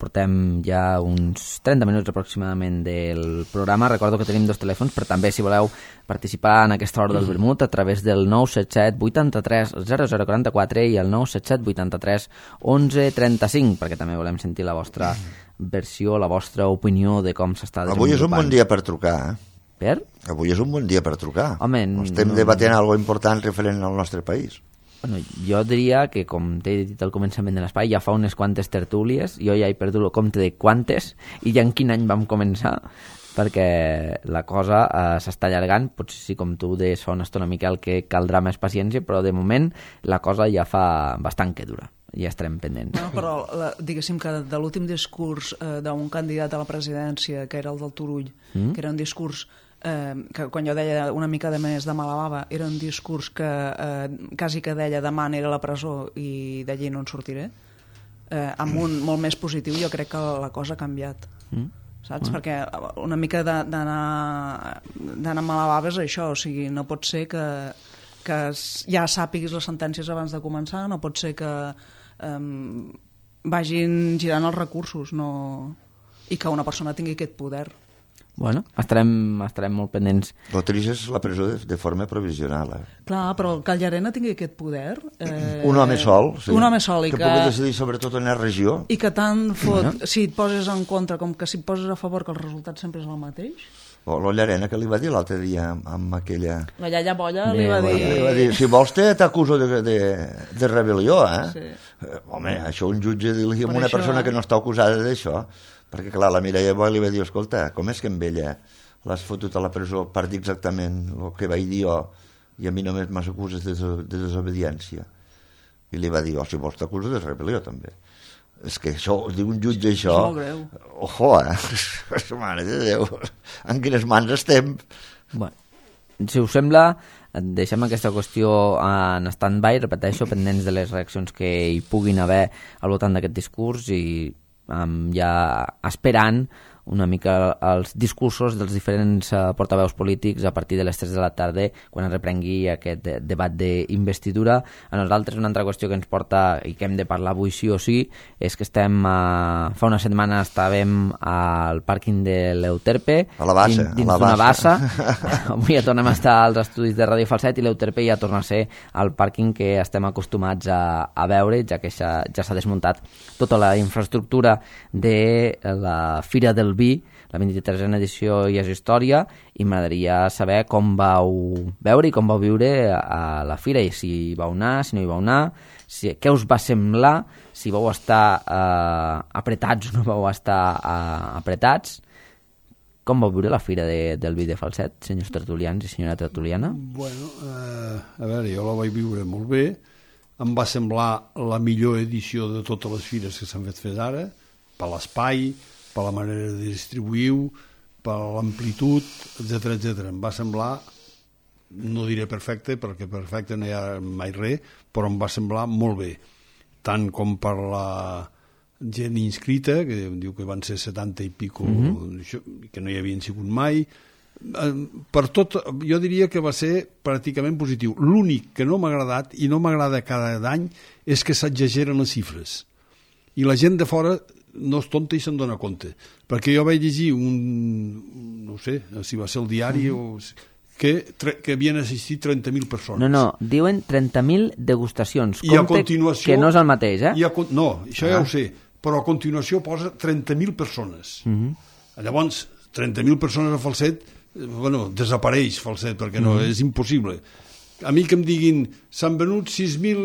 portem ja uns trenta minuts aproximadament del programa. Recordo que tenim dos telèfons, però també si voleu participar en aquesta hora del vermut a través del nou set set vuitanta-tres zero zero quaranta-quatre i el nou set set vuitanta-tres onze trenta-cinc, perquè també volem sentir la vostra versió, la vostra opinió de com s'està desenvolupant. Avui és un bon dia per trucar, eh? Per? Avui és un bon dia per trucar. Home, estem no... debatent alguna important referent al nostre país. Bueno, jo diria que, com t'he dit al començament de l'espai, ja fa unes quantes tertúlies, jo ja he perdut el compte de quantes, i ja en quin any vam començar, perquè la cosa eh, s'està allargant. Potser sí, com tu deies fa una estona, Miquel, que caldrà més paciència, però de moment la cosa ja fa bastant que dura. Ja estarem pendents. No, però la, diguéssim que de l'últim discurs eh, d'un candidat a la presidència, que era el del Turull, mm? que era un discurs eh, que quan jo deia una mica de més de mala bava, era un discurs que eh, quasi que deia demà aniré a la presó i d'allí no en sortiré, eh, amb un molt més positiu. Jo crec que la cosa ha canviat. Mm? Saps? Mm. Perquè una mica d'anar d'anar a mala bava és això, o sigui, no pot ser que, que ja sàpiguis les sentències abans de començar, no pot ser que um, vagin girant els recursos, no... i que una persona tingui aquest poder. Bueno, estarem, estarem molt pendents. El trist és la presó de, de forma provisional. Eh? Clar, però que el Llarena tingui aquest poder... Eh, un home sol, sí. Un home sol. I que, que pugui decidir sobretot en la regió. I que tant fot, Bueno. si et poses en contra com que si et poses a favor, que el resultat sempre és el mateix. O la Llarena, que li va dir l'altre dia amb, amb aquella... La iaia Bolla Bé, li va dir... bueno, Li va dir, si vols te t'acuso de, de, de rebel·lió, eh? Sí. Eh, Home, això un jutge dir-li a Per una això- persona que no està acusada d'això, perquè clar, la Mireia Boy li va dir, escolta, com és que amb ella l'has fotut a la presó per dir exactament el que vaig dir jo i a mi només m'acuses de, des- de desobediència? I li va dir, oh, si vols t'acuso de rebel·lió també. És que això, diu un jutge això... És molt greu. Ojo, eh? Mare de Déu, en quines mans estem? Bueno, si us sembla, deixem aquesta qüestió en stand-by, repeteixo, pendents de les reaccions que hi puguin haver al voltant d'aquest discurs i um, ja esperant una mica els discursos dels diferents uh, portaveus polítics a partir de les tres de la tarda, quan es reprengui aquest de debat d'investidura. A nosaltres una altra qüestió que ens porta i que hem de parlar avui sí o sí és que estem, uh, fa una setmana estàvem al pàrquing de l'Euterpe, A la bassa, dins a la d'una bassa. bassa. Avui ja tornem a estar als estudis de Ràdio Falset i l'Euterpe ja torna a ser el pàrquing que estem acostumats a, a veure, ja que ja s'ha desmuntat tota la infraestructura de la Fira del Vi, la vint-i-tresena edició ja és història, i m'agradaria saber com vau veure i com vau viure a la Fira, i si hi vau anar, si no hi vau anar, si, què us va semblar, si vau estar eh, apretats o no vau estar eh, apretats. Com vau viure la Fira de, del Vi de Falset, senyors tertulians i senyora tertuliana? Bueno, eh, a veure, jo la vaig viure molt bé. Em va semblar la millor edició de totes les fires que s'han fet fins ara, per l'espai, per la manera de distribuir-ho, per l'amplitud, etcètera, etcètera. Em va semblar, no diré perfecte, perquè perfecte no hi ha mai res, però em va semblar molt bé. Tant com per la gent inscrita, que diu que van ser setanta i pico, mm-hmm. que no hi havien sigut mai. Per tot, jo diria que va ser pràcticament positiu. L'únic que no m'ha agradat, i no m'agrada cada any, és que s'exageren les xifres. I la gent de fora no és tonta i se'n dona compte. Perquè jo vaig llegir un, no sé, si va ser el diari, mm-hmm. o, que, que havien assistit trenta mil persones. No, no, diuen trenta mil degustacions. I a Compte continuació... que no és el mateix, eh? I a, no, això ah. ja ho sé, però a continuació posa trenta mil persones. Uh -huh. Llavors, trenta mil persones a Falset, bueno, desapareix Falset, perquè no, uh -huh. és impossible. A mi que em diguin, s'han venut sis mil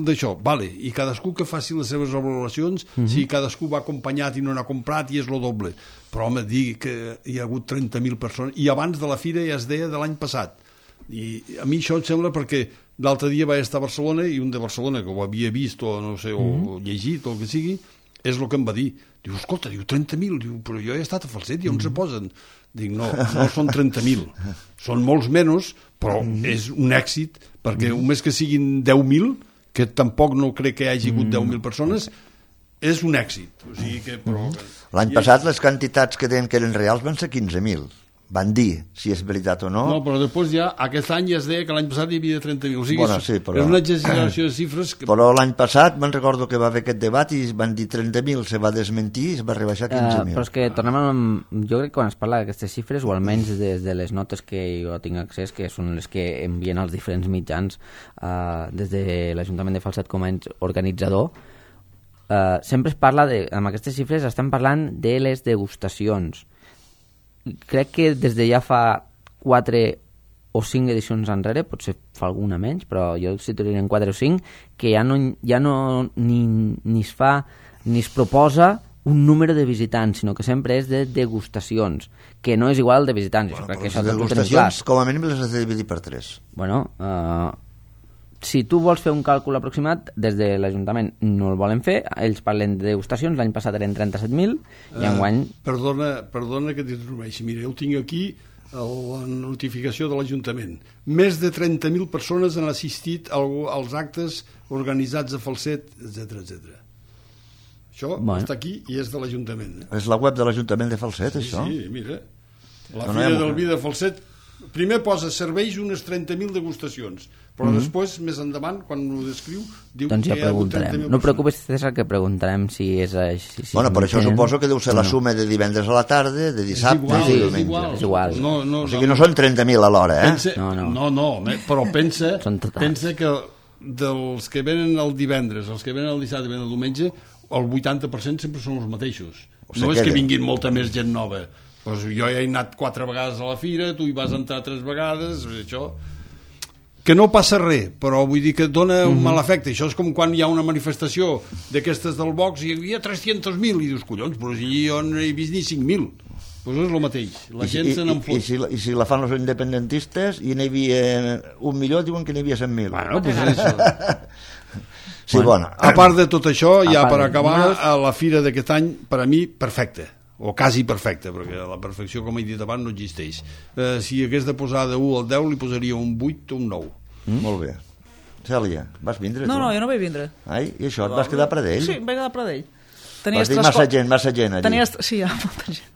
d'això, vale, i cadascú que faci les seves valoracions, uh -huh. si cadascú va acompanyat i no n'ha comprat, i és lo doble. Però, home, digui que hi ha hagut trenta mil persones, i abans de la fira ja es deia de l'any passat. I a mi això em sembla perquè l'altre dia vaig estar a Barcelona i un de Barcelona que ho havia vist o, no sé, o uh -huh. llegit o el que sigui, és el que em va dir. Diu, escolta, diu, trenta mil, diu, però jo he estat a Falset i on uh -huh. se posen? Dic, no, no són trenta mil, són molts menys, però és un èxit, perquè només que siguin deu mil, que tampoc no crec que hi hagi hagut deu mil persones, és un èxit. O sigui que, però... L'any passat les quantitats que deien que eren reals van ser quinze mil. Van dir si és veritat o no. No, però després ja, aquest any ja es deia que l'any passat hi havia trenta mil. O sigui, bueno, és, sí, però... és una exageració de xifres. Que... Però l'any passat me'n recordo que va haver aquest debat i van dir trenta mil, se va desmentir i es va rebaixar quinze mil. Uh, però és que tornem amb... Jo crec que quan es parla d'aquestes xifres, o almenys des de les notes que jo tinc accés, que són les que envien als diferents mitjans uh, des de l'Ajuntament de Falset com a organitzador, uh, sempre es parla, de, amb aquestes xifres estem parlant de les degustacions. Crec que des de ja fa quatre o cinc edicions enrere, potser fa alguna menys, però jo situaria en quatre o cinc, que ja no, ja no ni, ni es fa ni es proposa un número de visitants, sinó que sempre és de degustacions, que no és igual de visitants. Bueno, crec que les això degustacions, com a mínim, les has de dividir per tres. Bueno, uh, si tu vols fer un càlcul aproximat, des de l'Ajuntament no el volen fer, ells parlen de degustacions, l'any passat eren trenta-set mil, i enguany... Uh, perdona, perdona que t'interromeixi, mira, jo tinc aquí la notificació de l'Ajuntament. Més de trenta mil persones han assistit als actes organitzats a Falset, etcètera, etcètera. Això bueno. està aquí i és de l'Ajuntament. Eh? És la web de l'Ajuntament de Falset, sí, això? Sí, mira. La no, Fira no del Vi de Falset primer posa serveis unes trenta mil degustacions, però mm -hmm. després, més endavant, quan ho descriu, diu doncs ja que hi ha hagut trenta mil. No preocupis, César, que preguntarem si és així. Si bueno, per això tenen... suposo que deu ser la no. suma de divendres a la tarda, de dissabte igual, i de diumenge. És igual. És igual. No, no, o sigui, no, no són trenta mil alhora, eh? Pensa, no, no. no, no, però pensa, pensa que dels que venen el divendres, els que venen el dissabte i venen el diumenge, el vuitanta per cent sempre són els mateixos. O sigui, no és que vinguin molta més gent nova. Pues jo ja he anat quatre vegades a la fira, tu hi vas entrar tres vegades, això... Que no passa res, però vull dir que dona un mm -hmm. mal efecte. Això és com quan hi ha una manifestació d'aquestes del Vox i hi havia tres-cents mil, i dius, collons, però si jo no he vist ni cinc mil. Doncs és el mateix, la I, gent i, se n'enfot. I, si, I si la fan els independentistes i n'hi havia un milió, diuen que n'hi havia cent mil. Bueno, pues això... Sí, bueno, bueno. A part de tot això, ja per acabar, a la fira d'aquest any, per a mi, perfecta, o quasi perfecta, perquè la perfecció, com he dit abans, no existeix. Eh, si hagués de posar de u al deu, li posaria un vuit o un nou. Mm? Molt bé. Cèlia, vas vindre no, tu? No, no, jo no vaig vindre. Ai, i això, et vas quedar a Pradell? Sí, em vaig quedar a Pradell. Vas dir massa gent, massa gent allà. Tenies... Sí, hi ha molta gent.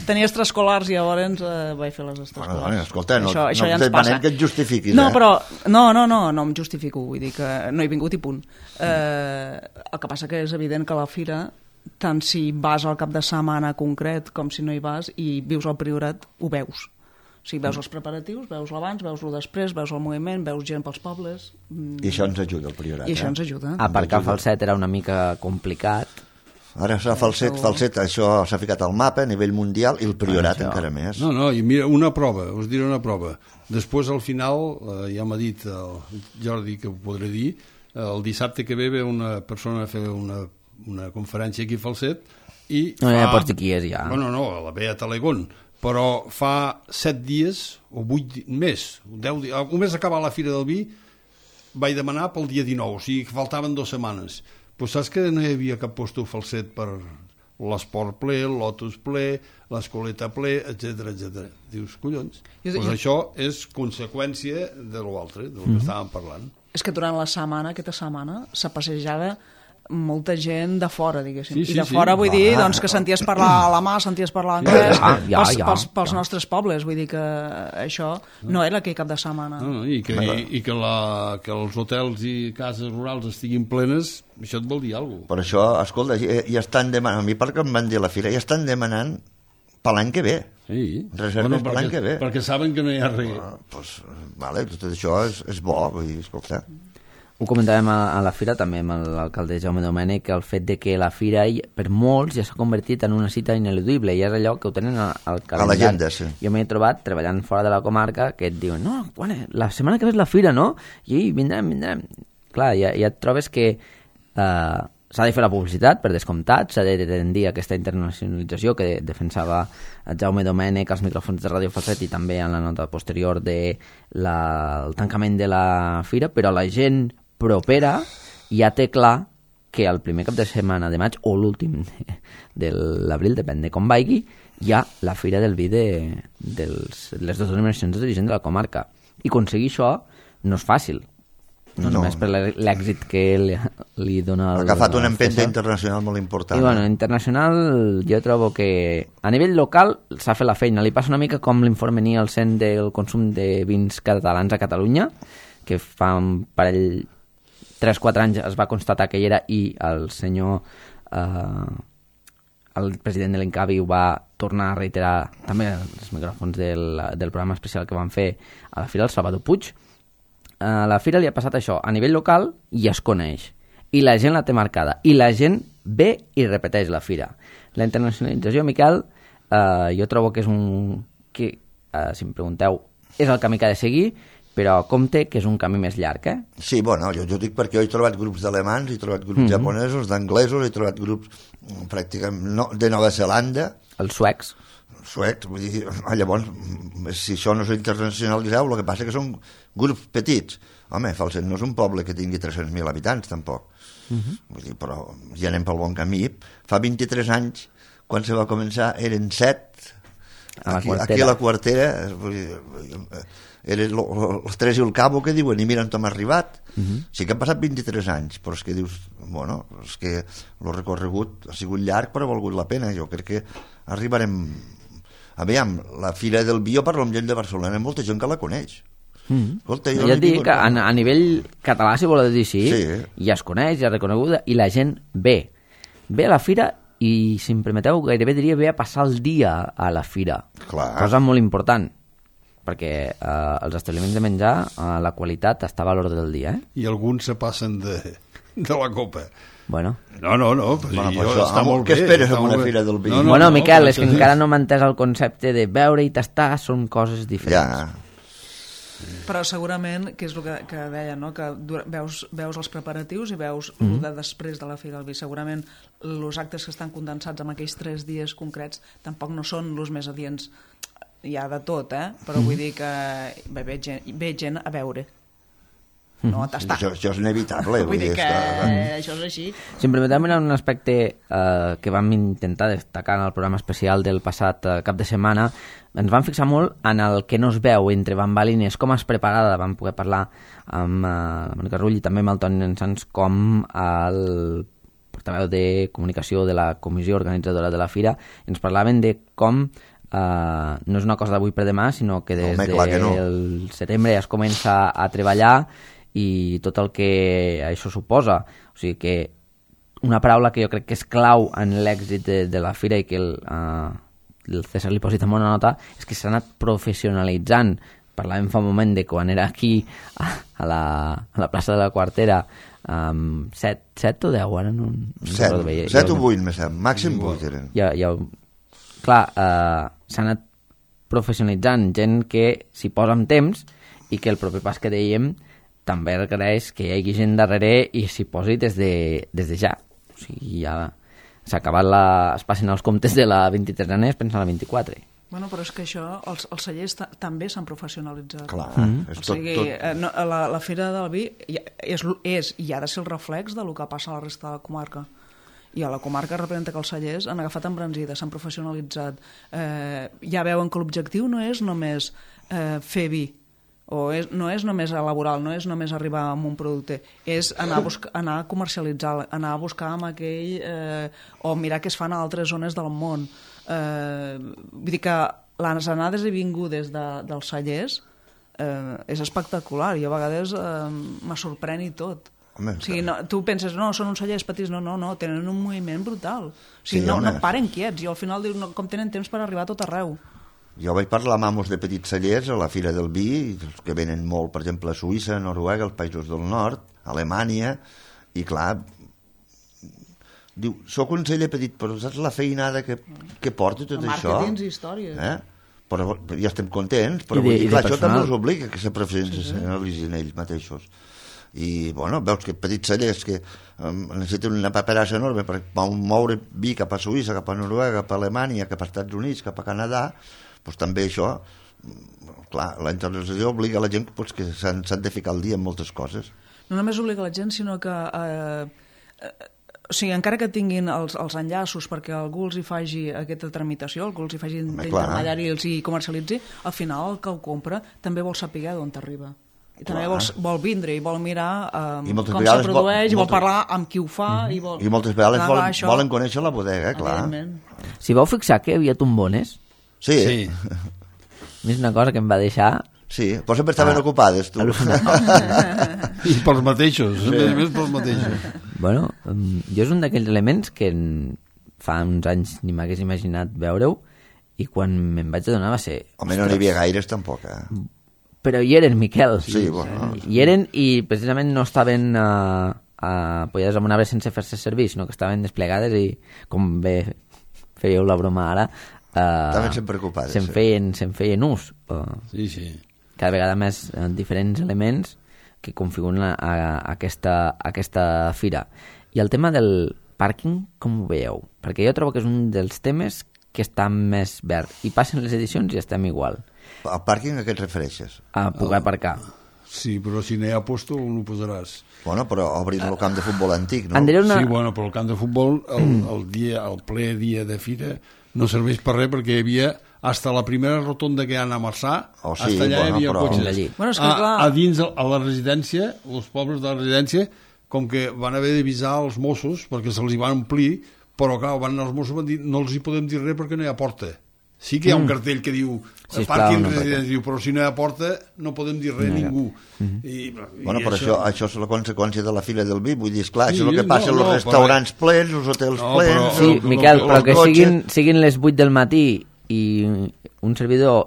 Tenia extraescolars i llavors eh, vaig fer les extraescolars. Bueno, escolta, no, això, no, això no ja et demanem que et justifiquis. No, eh? però, no, no, no, no em justifico, vull dir que no he vingut i punt. Eh, el que passa que és evident que a la fira, tant si vas al cap de setmana concret com si no hi vas i vius al Priorat, ho veus. O sigui, veus els preparatius, veus l'abans, veus el després, veus el moviment, veus gent pels pobles... I això ens ajuda, el Priorat. I això eh? ens ajuda. Aparcar a Falset era una mica complicat. Ara s'ha Falset, Falset, això s'ha ficat al mapa a nivell mundial i el Priorat ah, encara més. No, no, i mira, una prova, us diré una prova. Després, al final, eh, ja m'ha dit el Jordi que ho podré dir, el dissabte que ve ve una persona a fer una, una conferència aquí a Falset i no, fa... ja pots dir qui és, ja. Bueno, no, la ve a Talegón, però fa set dies, o vuit més, deu dies, només acabar la Fira del Vi, vaig demanar pel dia dinou, o sigui que faltaven dues setmanes. Pues saps que no hi havia cap posto Falset per l'esport ple, el lotus ple, l'escoleta ple, etcètera, etcètera. Dius, collons, doncs pues això és conseqüència de l'altre, del que mm-hmm. estàvem parlant. És que durant la setmana, aquesta setmana, s'ha passejada molta gent de fora, diguéssim. Sí, sí, I de sí. fora vull dir Ah. doncs, que senties parlar alemà, senties parlar anglès, Ja, ja, pels, ja, pels, pels ja. nostres pobles. Vull dir que això no era aquell cap de setmana. No, no, I, que, i, i que, la, que els hotels i cases rurals estiguin plenes, això et vol dir alguna cosa. Per això, escolta, ja, ja estan demanant, a mi perquè em van dir a la fira, ja estan demanant per l'any que ve. Sí. Reserves per l'any que ve. Perquè saben que no hi ha res. Ah, pues, vale, tot això és, és bo, vull dir, escolta. Ho comentàvem a, a la fira també amb l'alcalde Jaume Domènech, el fet de que la fira per molts ja s'ha convertit en una cita ineludible i és allò que ho tenen al calendari. A l'agenda, sí. Jo m'he trobat treballant fora de la comarca que et diuen, no, bueno, la setmana que ve és la fira, no? I vindrem, vindrem. Clar, ja, ja et trobes que eh, s'ha de fer la publicitat, per descomptat, s'ha de tendir aquesta internacionalització que defensava Jaume Domènech als micròfons de Ràdio Falset i també en la nota posterior de la, el tancament de la fira, però la gent propera ja té clar que el primer cap de setmana de maig o l'últim de, de l'abril, depèn de com vagi, hi ha la Fira del Vi de, de les dues denominacions d'origen de la comarca. I aconseguir això no és fàcil. No, no. Només per l'èxit que li, li dona... Ha agafat una empenta internacional molt important. I bueno, internacional jo trobo que a nivell local s'ha fet la feina. Li passa una mica com l'informe Nielsen del consum de vins catalans a Catalunya, que fa un parell tres quatre anys es va constatar que hi era i el senyor eh, el president de l'Encavi ho va tornar a reiterar també els micròfons del, del programa especial que van fer a la Fira, el Salvador Puig. A la Fira li ha passat això, a nivell local i es coneix i la gent la té marcada i la gent ve i repeteix la Fira. La internacionalització, Miquel, eh, jo trobo que és un que, eh, si em pregunteu, és el camí que ha de seguir, però compte que és un camí més llarg, eh? Sí, bueno, jo, jo dic perquè jo he trobat grups d'alemans, he trobat grups mm-hmm. japonesos, d'anglesos, he trobat grups pràcticament no, de Nova Zelanda. Els suecs. Suecs, vull dir, llavors, si això no és internacionalitzeu, el que passa que són grups petits. Home, Falset no és un poble que tingui tres-cents mil habitants, tampoc. Mm-hmm. Vull dir, però ja anem pel bon camí. Fa vint-i-tres anys, quan se va començar, eren set. A aquí, aquí a la quartera, vull dir, eren els tres i el cabo que diuen i miren com ha arribat. Uh-huh. Sí que han passat vint-i-tres anys, però és que dius, bueno, és que el recorregut ha sigut llarg però ha valgut la pena. Jo crec que arribarem... Aviam, la Fira del Vi, jo parlo amb gent de Barcelona, hi ha molta gent que la coneix. Mm. Escolta, jo ja et dic que a, a nivell català, si vols dir sí, sí, ja es coneix, ja és reconeguda i la gent ve. Ve a la Fira i, si em permeteu, gairebé diria ve a passar el dia a la Fira. Clar. Cosa molt important, perquè eh, els establiments de menjar, eh, la qualitat estava a l'ordre del dia. Eh? I alguns se passen de, de la copa. Bueno. No, no, no. Pues bueno, jo, això, està molt què bé, esperes amb una Fira del Vi? No, no, bueno, no, Miquel, no, és que encara no m'ha entès el concepte de veure i tastar, són coses diferents. Ja. Però segurament, que és el que, que deia, no? Que veus, veus els preparatius i veus mm -hmm. el de després de la Fira del Vi. Segurament els actes que estan condensats en aquells tres dies concrets tampoc no són els més adients. Hi ha de tot, eh? Però mm -hmm. vull dir que ve, ve, gent, ve gent a veure, no a tastar. Això, això és inevitable. Vull, vull dir que que... això és així. Si em permeteu mirar un aspecte eh, que vam intentar destacar en el programa especial del passat eh, cap de setmana, ens vam fixar molt en el que no es veu entre bambalines, com es preparada, vam poder parlar amb eh, la Mònica Rull i també amb el Toni Ensans, com el portaveu de comunicació de la comissió organitzadora de la Fira, ens parlaven de com Uh, no és una cosa d'avui per demà, sinó que des Home, del no. setembre ja es comença a treballar i tot el que això suposa. O sigui que una paraula que jo crec que és clau en l'èxit de, de la Fira i que el, uh, el César li posi també una nota és que s'ha anat professionalitzant. Parlàvem fa un moment de quan era aquí a, a, la, a la plaça de la Quartera um, set, set o deu, ara no, no set, veia, set ja, o vuit, màxim vuit eren. Ja, ja, clar, eh, s'ha anat professionalitzant gent que s'hi posa amb temps i que el proper pas que dèiem també requereix que hi hagi gent darrere i s'hi posi des de, des de ja. O sigui, ja s'ha acabat la... es passen els comptes de la vint-i-tresena i es pensa a la vint-i-quatre. Bueno, però és que això, els, els cellers també s'han professionalitzat. Clar, mm-hmm. és o tot, sigui, tot... Eh, no, la, la Fira del Vi és, és i ha de ser el reflex del que passa a la resta de la comarca. I a la comarca representa que els cellers han agafat embranzida, s'han professionalitzat. Eh, ja veuen que l'objectiu no és només eh, fer vi, o és, no és només laboral, no és només arribar amb un producte, és anar a, buscar, anar a comercialitzar, anar a buscar amb aquell... Eh, o mirar què es fan a altres zones del món. Eh, vull dir que les anades i vingudes de, dels cellers eh, és espectacular. I a vegades eh, me sorprèn i tot. Home, o sigui, no, tu penses, no, són uns cellers petits, no, no, no, tenen un moviment brutal. O sigui, sí, no, no paren quiets, i al final dius, no, com tenen temps per arribar a tot arreu. Jo vaig parlar amb amos de petits cellers a la Fira del Vi, que venen molt, per exemple, a Suïssa, a Noruega, als països del nord, a Alemanya, i clar, diu, soc un celler petit, però saps la feinada que, que porta tot això? Màrquetings i històries. Eh? Però ja estem contents, però I de, vull dir, clar, i això també els obliga que se professionalitzin sí, sí. ells mateixos. I, bueno, veus que petits cellers que um, necessiten una paperassa enorme per moure vi cap a Suïssa, cap a Noruega, cap a Alemanya, cap als Estats Units, cap a Canadà, doncs també això, clar, la internacionalització obliga la gent pues, que s'han de ficar al dia en moltes coses. No només obliga la gent, sinó que eh, eh, o sigui, encara que tinguin els, els enllaços perquè algú els hi faci aquesta tramitació, algú els hi faci d'intermediari i els hi comercialitzi, al final el que ho compra també vol saber d'on t'arriba. I també vol, vol vindre i vol mirar um, com se produeix, vol, i vol moltes... parlar amb qui ho fa. Mm-hmm. I, vol... I moltes vegades clar, volen, això... volen conèixer la bodega, clar. Si vau fixar que hi havia tombones? Sí. sí. És una cosa que em va deixar... Sí, però sempre estaven ah, ocupades, tu. I pels mateixos, sí. a més pels mateixos. Bueno, jo és un d'aquells elements que fa uns anys ni m'hagués imaginat veure-ho, i quan me'n vaig adonar va ser... Home, no n'hi havia gaires, tampoc, eh? Però hi eren, Miquel. Sí, bueno. Hi eren i precisament no estaven uh, uh, apoyades amb un arbre sense fer-se servir, sinó que estaven desplegades i, com bé fèieu la broma ara, uh, estaven sempre ocupades. Se'n feien, se'n feien ús. Uh, sí, sí. Cada vegada més uh, diferents elements que configuren a, a, a, aquesta, a aquesta fira. I el tema del pàrquing, com ho veieu? Perquè jo trobo que és un dels temes que està més verd. I passen les edicions i estem igual. Al pàrquing a què et refereixes? A poder aparcar. Sí, però si no hi ha posto, on ho posaràs? Bueno, però obrin el camp de futbol antic, no? Una... Sí, bueno, però el camp de futbol, el, el, dia, el ple dia de fira, no serveix per res perquè hi havia hasta la primera rotonda que hi ha a Marçà, oh, sí, hasta allà bueno, hi havia però... cotxes. Bueno, és que, clar... a, a dins, a la residència, els pobles de la residència, com que van haver d'avisar els Mossos perquè se'ls hi van omplir, però clar, van anar els Mossos van dir no els hi podem dir res perquè no hi ha porta. Sí que hi ha un cartell que diu sí, pàrquing no, residència, però si no hi ha porta no podem dir res no, ningú. Mm-hmm. I, i bueno, però això... Això, això és la conseqüència de la Fira del Vi, vull dir, esclar, sí, això és el que passa no, no, els restaurants però... plens, els hotels no, plens... Però, sí, el, Miquel, el, però el que cotxe... siguin, siguin les vuit del matí i un servidor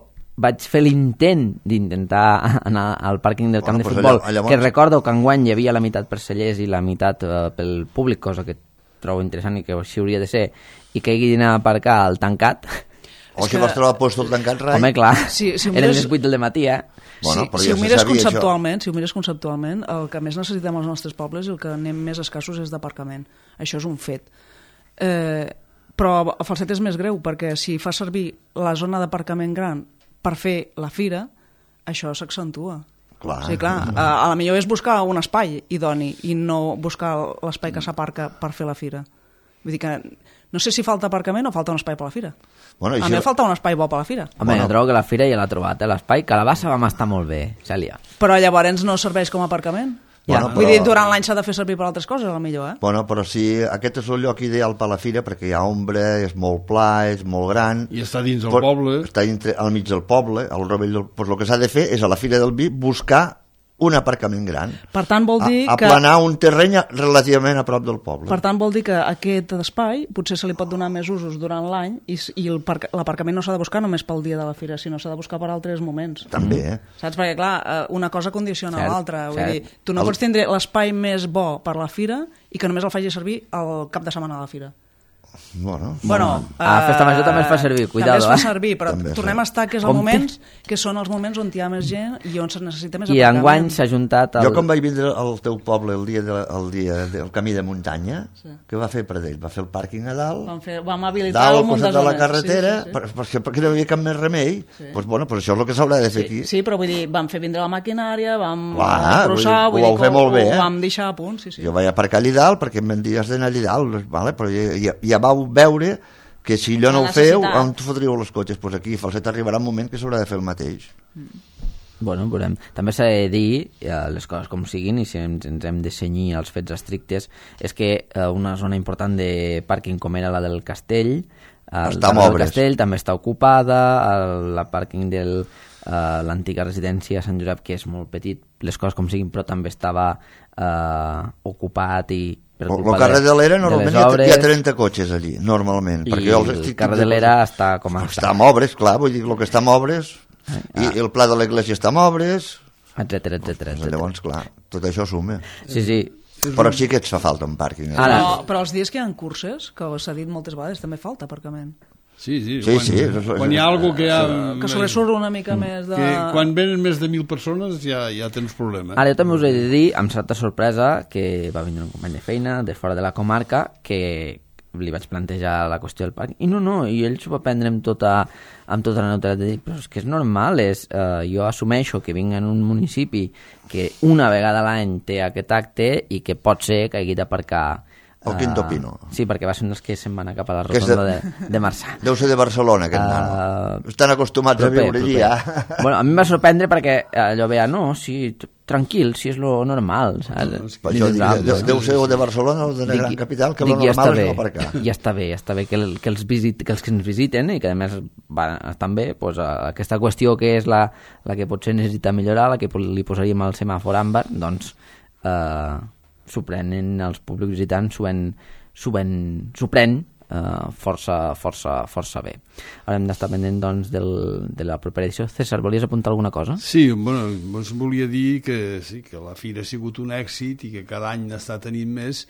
vaig fer l'intent d'intentar anar al pàrquing del camp bueno, de futbol, allà, llavors... que recordo que enguany hi havia la meitat per cellers i la meitat uh, pel públic, cosa que trobo interessant i que així hauria de ser, i que hagi d'anar a aparcar al tancat... O si que... vas trobar puesto el tancat, rai? Home, clar, sí, si eren les vuit del matí, eh? Bueno, sí, si, ja ho mires conceptualment, si ho mires conceptualment, el que més necessitem als nostres pobles i el que anem més escassos és d'aparcament. Això és un fet. Eh, però el falset és més greu, perquè si fa servir la zona d'aparcament gran per fer la fira, això s'accentua. Clar. Sí, clar. A, a la millor és buscar un espai idoni i no buscar l'espai que s'aparca per fer la fira. Vull dir que no sé si falta aparcament o falta un espai per la fira. Bueno, a això... mi em falta un espai bo per la fira. Home, bueno. Jo trobo que la fira ja l'ha trobat, eh, l'espai, que a la bassa vam estar molt bé, Cèlia. Però llavors no serveix com a aparcament? Bueno, ja. Vull però... dir, durant l'any s'ha de fer servir per altres coses, a la millor, eh? Bueno, però sí, aquest és el lloc ideal per a la fira perquè hi ha ombra, és molt pla, és molt gran... I està dins del però, poble. Està dintre, al mig del poble, al rovell del... Pues el que s'ha de fer és a la Fira del Vi buscar un aparcament gran. Per tant, vol dir a, que... aplanar un terreny relativament a prop del poble. Per tant, vol dir que aquest espai potser se li pot donar més usos durant l'any i, i l'aparcament no s'ha de buscar només pel dia de la fira, sinó s'ha de buscar per altres moments. També, eh? Saps? Perquè, clar, una cosa condiciona l'altra. Vull dir, tu no el... pots tindre l'espai més bo per la fira i que només el faci servir el cap de setmana de la fira. Bueno, bueno uh, a Festa Major també es fa servir, cuidado. També es fa eh? servir, però també tornem a estar que, és el moments, que són els moments on hi ha més gent i on se necessita més I aparcament. enguany s'ha juntat... El... Jo quan vaig vindre al teu poble el dia, de, el dia del camí de muntanya, sí. Què va fer per ell? Va fer el pàrquing a dalt, vam, fer, vam habilitar dalt, un munt de de la zones. carretera, sí, sí, sí. Per, perquè, perquè no hi havia cap més remei. Sí. Pues, bueno, pues això és el que s'haurà de fer sí, aquí. Sí, però vull dir, vam fer vindre la maquinària, vam Clar, processar, vull dir, ho vau fer molt bé, eh? Ho vam deixar a punt, sí, sí. Jo vaig aparcar allà dalt perquè em van dir has d'anar allà dalt, vale? Però ja, ja, ja vau veure que si allò no ho feu, on fotríeu els cotxes? Pues aquí, Falset, arribarà un moment que s'haurà de fer el mateix. Mm. Bueno, veurem. També s'ha de dir eh, les coses com siguin i si ens, ens hem de cenyir als fets estrictes, és que eh, una zona important de pàrquing com era la del Castell, el està del Castell també està ocupada, el, la pàrquing de uh, l'antiga residència Sant Josep, que és molt petit, les coses com siguin, però també estava uh, ocupat i per El culpa carrer de l'era de normalment les hi ha, obres, hi ha trenta cotxes allí, normalment. i perquè jo els el estic- carrer de l'era està com a... Està en obres, clar, vull dir, el que està en obres, i Ah. el pla de l'església està en obres, etcètera, etcètera, etcètera. llavors, clar, tot això suma. Sí, sí. Però sí que et fa falta un pàrquing. eh? Ara- Però, però els dies que hi ha curses, que s'ha dit moltes vegades, també falta aparcament. Sí, sí. Sí, quan, sí, és- és- quan hi ha algú que ha... Que sobresurt una mica més de... Que quan venen més de mil persones ja, ja tens problema. Ara jo també us he de dir, amb certa sorpresa, que va vindre un company de feina de fora de la comarca, que li vaig plantejar la qüestió del parc, i no, no, i ell s'ho va prendre amb tota, amb tota la neutralitat de dir, però és que és normal, és, eh, jo assumeixo que vinc en un municipi que una vegada a l'any té aquest acte i que pot ser que hagi d'aparcar El Quinto Pino. Sí, perquè va ser un dels que se'n van anar cap a la Que és rotonda de- de, de Marçà. Deu ser de Barcelona, aquest Uh, nano. Estan acostumats Proper, a viure allí, proper. ja. Bueno, a mi em va sorprendre perquè allò veia, no, sí, t- tranquil, si és lo normal. Saps? Per això dic, Ah, deu, deu ser o de Barcelona o de la Dic- gran capital, que dic, lo ja normal està és bé, no aparcar. ja està bé, ja està bé que, el, que, els visit, que els que ens visiten i que a més van, estan bé, doncs, aquesta qüestió que és la, la que potser necessita millorar, la que li posaríem al semàfor àmbar, doncs eh, s'ho prenen els públics visitants, s'ho ven, s'ho ven, s'ho pren eh, força, força, força bé. Ara hem d'estar pendent doncs, del, de la propera edició. César, volies apuntar alguna cosa? Sí, bueno, us volia dir que sí, que la fira ha sigut un èxit i que cada any n'està tenint més,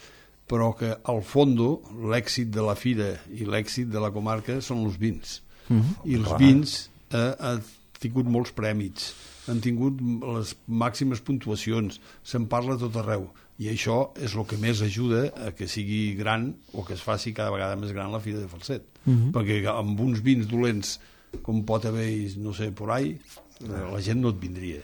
però que al fondo l'èxit de la fira i l'èxit de la comarca són els vins. Mm-hmm. I els vins eh, han tingut molts prèmits, han tingut les màximes puntuacions, se'n parla a tot arreu. I això és el que més ajuda a que sigui gran o que es faci cada vegada més gran la Fira de Falset. Mm-hmm. Perquè amb uns vins dolents com pot haver, no sé, por ahí, la gent no et vindria.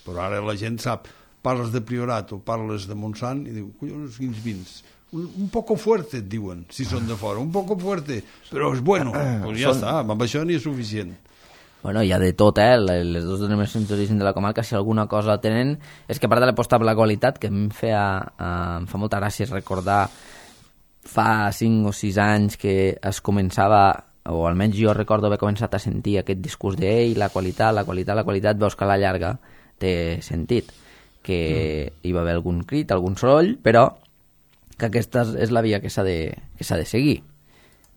Però ara la gent sap, parles de Priorat o parles de Montsant i diu, collons, quins vins? Un, un poco fuerte, et diuen, si són de fora, un poco fuerte, però és bueno. Pues ja Són- està, amb això n'hi és suficient. Bueno, hi ha de tot, eh? Les dues denominacions d'origen de la comarca, si alguna cosa tenen, és que a part de l'aposta per la qualitat, que em, feia, eh, em fa molta gràcia recordar fa cinc o sis anys que es començava, o almenys jo recordo haver començat a sentir aquest discurs de ei, la qualitat, la qualitat, la qualitat, veus que a la llarga té sentit, que mm. hi va haver algun crit, algun soroll, però que aquesta és la via que s'ha de, que s'ha de seguir.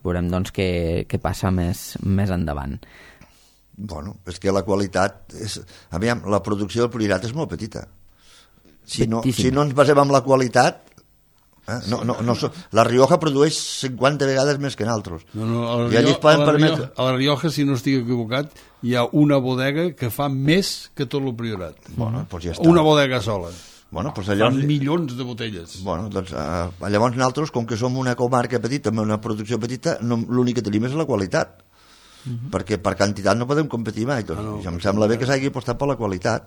Veurem, doncs, què, què passa més, més endavant. Bueno, és que la qualitat... És... Aviam, la producció del Priorat és molt petita. Si no, Petíssima. si no ens basem en la qualitat... Eh? No, no, no, so- la Rioja produeix cinquanta vegades més que nosaltres. No, no, a, la I allí Rio, es poden a, la permetre... Rioja, a la Rioja, si no estic equivocat, hi ha una bodega que fa més que tot el Priorat. Bueno, doncs ja està. Una bodega sola. Bueno, doncs Fan llavors... milions de botelles. Bueno, doncs, eh, llavors nosaltres, com que som una comarca petita, amb una producció petita, no, l'únic que tenim és la qualitat. Uh-huh. Perquè per quantitat no podem competir mai. Doncs, Ah, no, no, em sembla bé que s'hagi apostat per la qualitat.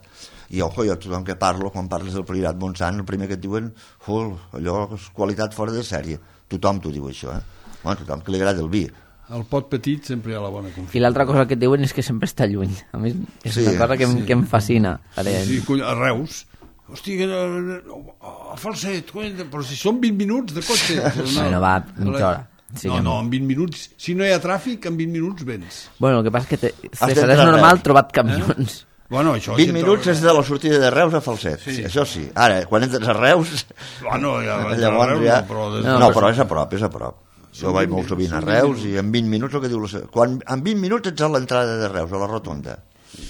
I, ojo, jo tothom que parlo, quan parles del Priorat Montsant, el primer que et diuen, uf, allò és qualitat fora de sèrie. Tothom t'ho diu, això, eh? Bueno, tothom que li agrada el vi. Al pot petit sempre hi ha la bona I confiança. l'altra cosa que et diuen és que sempre està lluny. A mi és Sí, una cosa que, em, sí. que em fascina. Ara, Sí, cony, a Reus. Hosti, que no- a Falset, cony, però si són vint minuts de cotxe. Bueno, va, mitja hora. Sí no, que no, no. en vint minuts. Si no hi ha tràfic, en vint minuts vens. Bueno, el que passa és que te, César, d'entrar és a normal Reus. trobar camions. Bueno, això... vint si minuts to- és de la sortida de Reus a Falset, Sí. sí. Això sí. Ara, quan entres a Reus... Bueno, ja, llavors Reus, ja... no, però des No, de- no, però és a prop, és a prop. Jo vaig molt sovint a són vint Reus minuts. i en vint minuts el que diu la... se- Quan, en vint minuts ets a l'entrada de Reus, a la rotonda,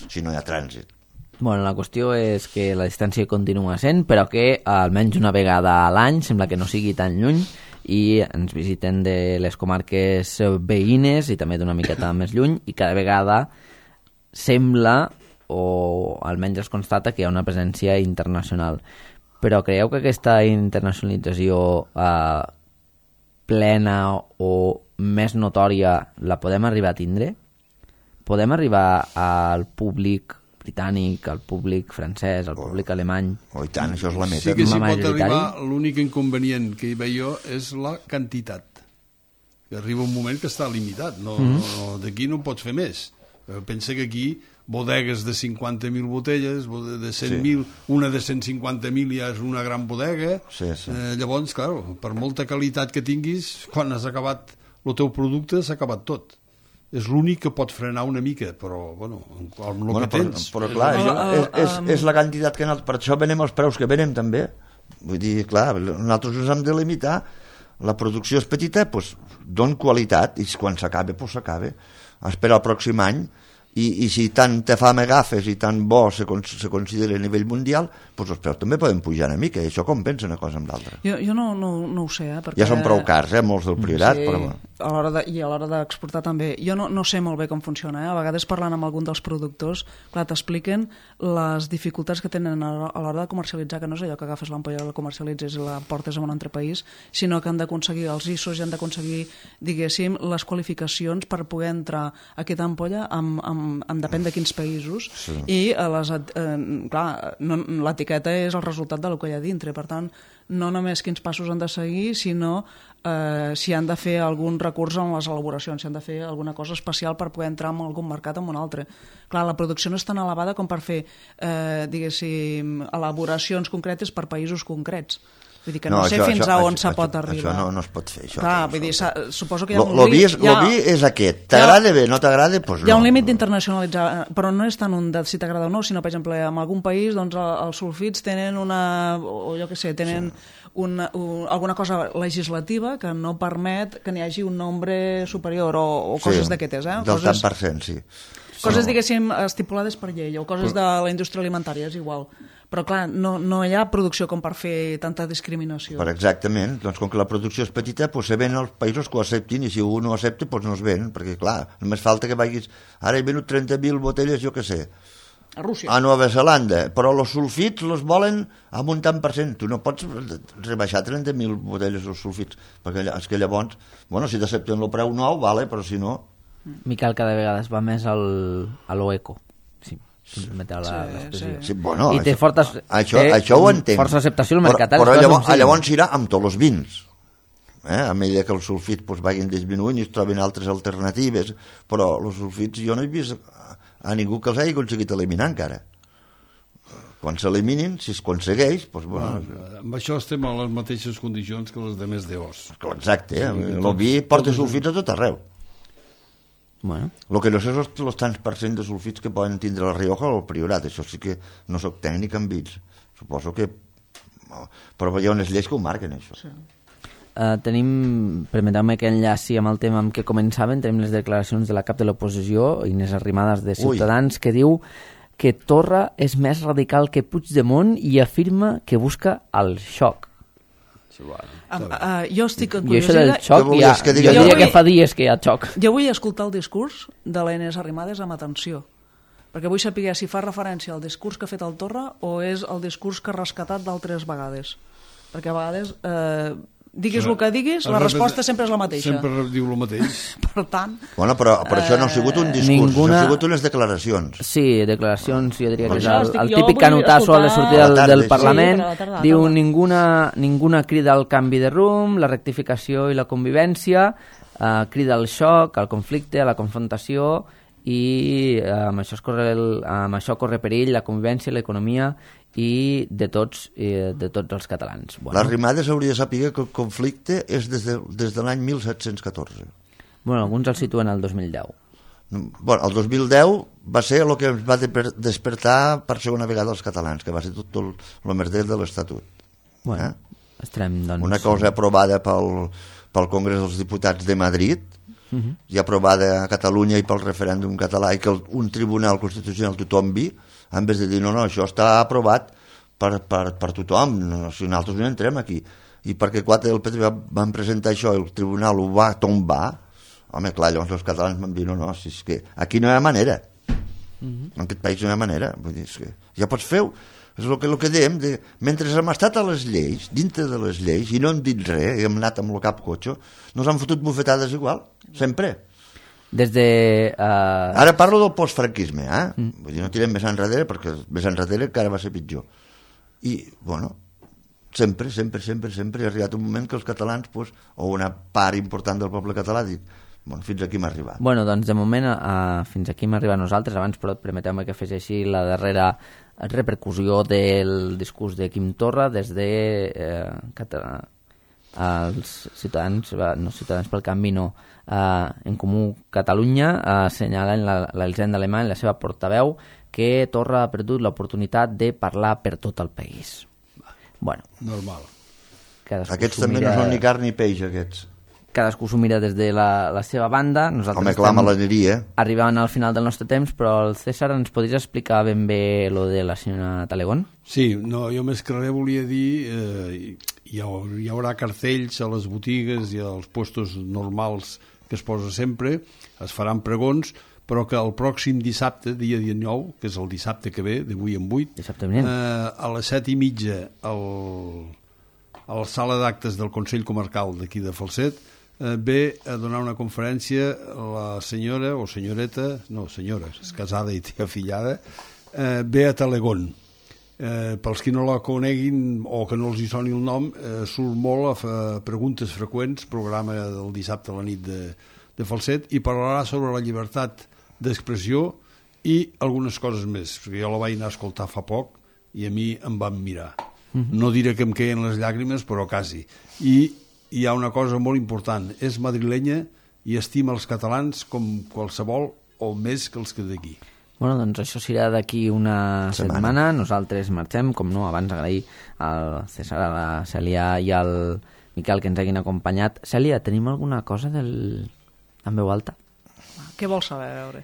si no hi ha trànsit. Bueno, la qüestió és que la distància continua sent, però que almenys una vegada a l'any sembla que no sigui tan lluny i ens visiten de les comarques veïnes i també d'una miqueta més lluny i cada vegada sembla, o almenys es constata, que hi ha una presència internacional. Però creieu que aquesta internacionalització eh, plena o més notòria la podem arribar a tindre? Podem arribar al públic britànic, al públic francès, al públic alemany? Oh, i tant, això és la meta. Sí que s'hi pot majoritari? arribar, l'únic inconvenient que hi veig jo és la quantitat. Que arriba un moment que està limitat, no, Mhm. no, no, d'aquí no pots fer més. Eh, Pensa que aquí bodegues de cinquanta mil botelles, bode- de cent mil, sí. Una de cent cinquanta mil ja és una gran bodega. Sí, sí. Eh, llavors, clar, per molta qualitat que tinguis, quan has acabat el teu producte s'ha acabat tot. És l'únic que pot frenar una mica, però, bueno, amb el Bueno, que però, tens... però clar, Uh, això uh, és, és, um, és la quantitat que... No, per això venem els preus que venem, també. Vull dir, clar, nosaltres ens hem de limitar, la producció és petita, doncs don qualitat, i quan s'acabe, doncs s'acabe. Espera el pròxim any, i, i si tant te fam agafes i tant bo se, con, se considera a nivell mundial, doncs els preus també poden pujar una mica, i això compensa una cosa amb l'altra. Jo, jo no, no, no ho sé, eh? Perquè... Ja són prou cars, eh, molts del Priorat, sí, però bueno. A l'hora de, i a l'hora d'exportar també. Jo no, no sé molt bé com funciona, eh? A vegades parlant amb algun dels productors, clar, t'expliquen les dificultats que tenen a l'hora de comercialitzar, que no és allò que agafes l'ampolla, la comercialitzes i la portes a un altre país, sinó que han d'aconseguir els I S Os i han d'aconseguir, diguéssim, les qualificacions per poder entrar a aquesta ampolla amb, amb, amb depèn de quins països, sí. I a les, eh, clar, no, l'etiqueta és el resultat del que hi ha dintre, per tant, no només quins passos han de seguir, sinó eh, si han de fer algun recurs en les elaboracions, si han de fer alguna cosa especial per poder entrar en algun mercat o en un altre. Clar, la producció no és tan elevada com per fer, eh, diguéssim, elaboracions concretes per països concrets. Vull dir que no, no sé això, fins això, a on se pot això, arribar. Això no, no es pot fer. Això, clar, això, vull dir, suposo que hi ha lo, un lo límit... Lo vi és aquest. T'agrada bé, no t'agrada, doncs no. Hi ha un límit d'internacionalitzar, però no és tant un de si t'agrada o no, sinó, per exemple, en algun país doncs, els sulfits tenen una... o jo què sé, tenen... Sí. Una, un, alguna cosa legislativa que no permet que n'hi hagi un nombre superior o, o coses sí, d'aquestes, eh? Del coses, tant per cent, sí. Coses, no. diguéssim, estipulades per llei o coses de la indústria alimentària, és igual. Però, clar, no, no hi ha producció com per fer tanta discriminació. Per exactament. Doncs com que la producció és petita, doncs se ven als països que ho acceptin, i si un no ho accepta, doncs no es ven, perquè, clar, només falta que vagis... Ara he venut trenta mil botelles, jo què sé, a Rússia. A Nova Zelanda, però els sulfits els volen amb un tant per cent. Tu no pots rebaixar trenta mil botelles els sulfits, perquè és que llavors, bueno, si t'accepten el preu nou, vale, però si no... Miquel cada vegada es va més al, a l'Oeco. Sí. Sí, sí. Sí, bueno, i té, això, fortes, això, té això ho entenc. Força acceptació al mercat. Però, però llavors, llavors irà amb tots els vins. Eh? A mesura que els sulfits pues, vagin disminuint i es trobin altres alternatives, però els sulfits jo no he vist a ningú que els hagi aconseguit eliminar encara. Quan s'eliminin, si es aconsegueix... Doncs, bueno, ah, amb això estem a les mateixes condicions que les de més d'os. Exacte, eh? Sí, el vi porta sulfits a tot arreu. Bueno. El que no sé és els tants per cent de sulfits que poden tindre la Rioja o el Priorat. Això sí que no soc tècnic en vins. Suposo que... Però hi ha unes lleis que ho marquen, això. Sí. Uh, tenim, permeteu-me que enllaci amb el tema amb què començaven, tenim les declaracions de la cap de l'oposició, Inés Arrimadas de Ciutadans, Ui. que diu que Torra és més radical que Puigdemont i afirma que busca el xoc. Sí, bueno. uh, uh, jo estic encuriosida... I això del xoc, ja, que jo diria vull, que fa dies que hi ha xoc. Jo vull escoltar el discurs de la Inés Arrimadas amb atenció, perquè vull saber si fa referència al discurs que ha fet el Torra o és el discurs que ha rescatat d'altres vegades. Perquè a vegades... Eh, diguis el que diguis, la resposta sempre és la mateixa. Sempre diu el mateix. Per tant... Bueno, però, però això no ha sigut un discurs, ninguna... ha sigut unes declaracions. Sí, declaracions, jo diria que és el, el típic canotasso a la sortida del, del Parlament. Sí, tarda, diu ninguna, ninguna crida al canvi de rumb, la rectificació i la convivència, eh, crida al xoc, al conflicte, a la confrontació, i eh, amb, això es corre el, amb això corre perill la convivència, l'economia i de tots, eh, de tots els catalans. Bueno. La Arrimadas hauria de saber que el conflicte és des de, des de l'any mil set-cents catorze. Bueno, alguns el situen al dos mil deu. Bueno, el dos mil deu va ser el que ens va despertar per segona vegada els catalans, que va ser tot el, el merder de l'Estatut. Bueno, eh? estarem, doncs... Una cosa aprovada pel, pel Congrés dels Diputats de Madrid, uh-huh. i aprovada a Catalunya i pel referèndum català, i que el, un tribunal constitucional tothom vi, en vez de dir, no, no, això està aprovat per, per, per tothom, no, si nosaltres no entrem aquí. I perquè quatre del P T van presentar això i el tribunal ho va tombar, home, clar, llavors els catalans van dir, no, no, si és que aquí no hi ha manera. Uh-huh. En aquest país no hi ha manera. Vull dir, és que ja pots fer, és el que, el que dèiem, de, mentre hem estat a les lleis, dintre de les lleis, i no hem dit res, i hem anat amb el cap cotxe, nos han fotut bufetades igual, sempre. Des de... Uh... Ara parlo del postfranquisme, eh? Mm. Vull dir, no tirem més enrere, perquè més enrere encara va ser pitjor. I, bueno, sempre, sempre, sempre, sempre ha arribat un moment que els catalans, pues, o una part important del poble català, dic, bueno, fins aquí m'ha arribat. Bueno, doncs de moment uh, fins aquí m'ha arribat a nosaltres. Abans, però, permeteu-me que fes així la darrera repercussió del discurs de Quim Torra des de eh, Català. Els ciutadans, no ciutadans pel canvi, no, eh, en Comú Catalunya eh, assenyalen l'Elisenda Alemany, la seva portaveu, que Torra ha perdut l'oportunitat de parlar per tot el país. Bueno, normal. Aquests també mira... no són ni carn ni peix, aquests. Cadascú s'ho mira des de la, la seva banda. Nosaltres Home, clar, maleneria. Arribàvem al final del nostre temps, però el César ens podries explicar ben bé lo de la senyora Talegón? Sí, no, jo més que res volia dir eh, hi, ha, hi haurà cartells a les botigues i als puestos normals que es posa sempre, es faran pregons, però que el pròxim dissabte, dia dinou, que és el dissabte que ve, de vuit en vuit, eh, a les set i mitja al, a la sala d'actes del Consell Comarcal d'aquí de Falset, eh, ve a donar una conferència la senyora, o senyoreta, no, senyora, és casada i té afillada, eh, Bea Talegón. Eh, pels qui no la coneguin o que no els hi soni el nom, eh, surt molt a fer preguntes freqüents, programa del dissabte a la nit de, de Falset, i parlarà sobre la llibertat d'expressió i algunes coses més, perquè jo la vaig anar a escoltar fa poc i a mi em van mirar. Mm-hmm. No diré que em queien les llàgrimes, però quasi. I hi ha una cosa molt important, és madrilenya i estima els catalans com qualsevol o més que els que d'aquí. Bueno, doncs això serà d'aquí una setmana. setmana. Nosaltres marxem, com no, abans agrair al César, a la Cèlia i al Miquel que ens hagin acompanyat. Cèlia, tenim alguna cosa del... en veu alta? Què vols saber, a veure?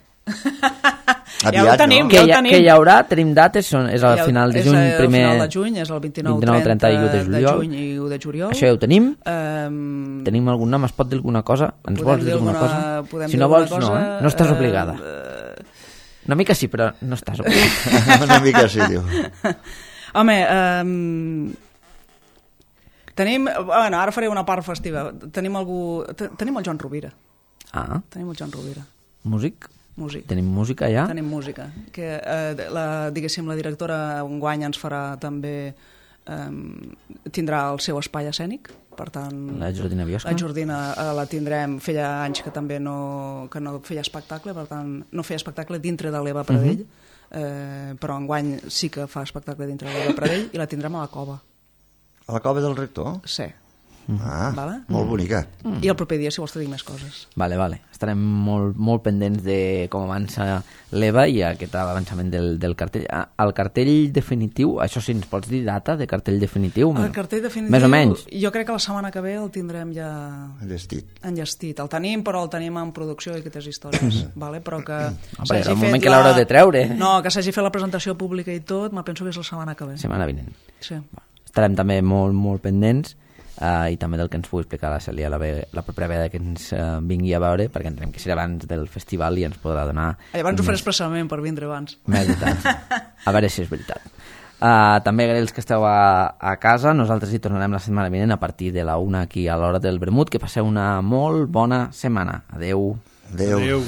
Aviat, ja ho tenim, no? Que ja ho hi, tenim. Que hi haurà, tenim dates, són, és al final de juny, és primer... És al final de juny, és el vint-i-nou, trenta i u de juliol. de juny i u de juliol. Això ja ho tenim. Um, Tenim algun nom? Es pot dir alguna cosa? Ens vols dir alguna, alguna cosa? Si no vols, cosa, no, eh? No estàs obligada. Uh, Una mica sí, però no estàs obligada. Una mica sí, diu. Home, um, tenim... Bueno, ara faré una part festiva. Tenim algú... Tenim el Joan Rovira. Ah. Tenim el Joan Rovira. Músic? Músic. Tenim música ja? Tenim música. Que, eh, la, diguéssim, la directora enguany ens farà també... Eh, tindrà el seu espai escènic, per tant... La Jordina Biosca? La Jordina eh, la tindrem, feia anys que també no, que no feia espectacle, per tant, no feia espectacle dintre de l'Eva Pradell, uh -huh. eh, però enguany sí que fa espectacle dintre de l'Eva Pradell i la tindrem a la Cova. A la Cova del Rector? Sí. Ah, vale? molt bonica. Mm. I el proper dia, si vols, te dic més coses. Vale, vale. Estarem molt, molt pendents de com avança l'Eva i aquest avançament del, del cartell. Ah, el cartell definitiu, això sí, ens pots dir data de cartell definitiu? El cartell definitiu, més o menys. Jo crec que la setmana que ve el tindrem ja... Enllestit. Enllestit. El tenim, però el tenim en producció i aquestes històries. vale? Però que Home, el moment que l'haureu de treure. No, que s'hagi fet la presentació pública i tot, me penso que és la setmana que ve. Setmana vinent. Sí. Estarem també molt, molt pendents. Uh, i també del que ens pugui explicar la Cèlia la, ve, la propera vegada que ens uh, vingui a veure, perquè entenem que serà abans del festival i ens podrà donar... Llavors ho faré expressament per vindre abans. Més detalls. A veure si és veritat. Uh, també agrair els que esteu a, a casa. Nosaltres hi tornarem la setmana vinent a partir de la una aquí a l'hora del vermut. Que passeu una molt bona setmana. Adeu. Adeu. Adeu.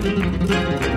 Thank you.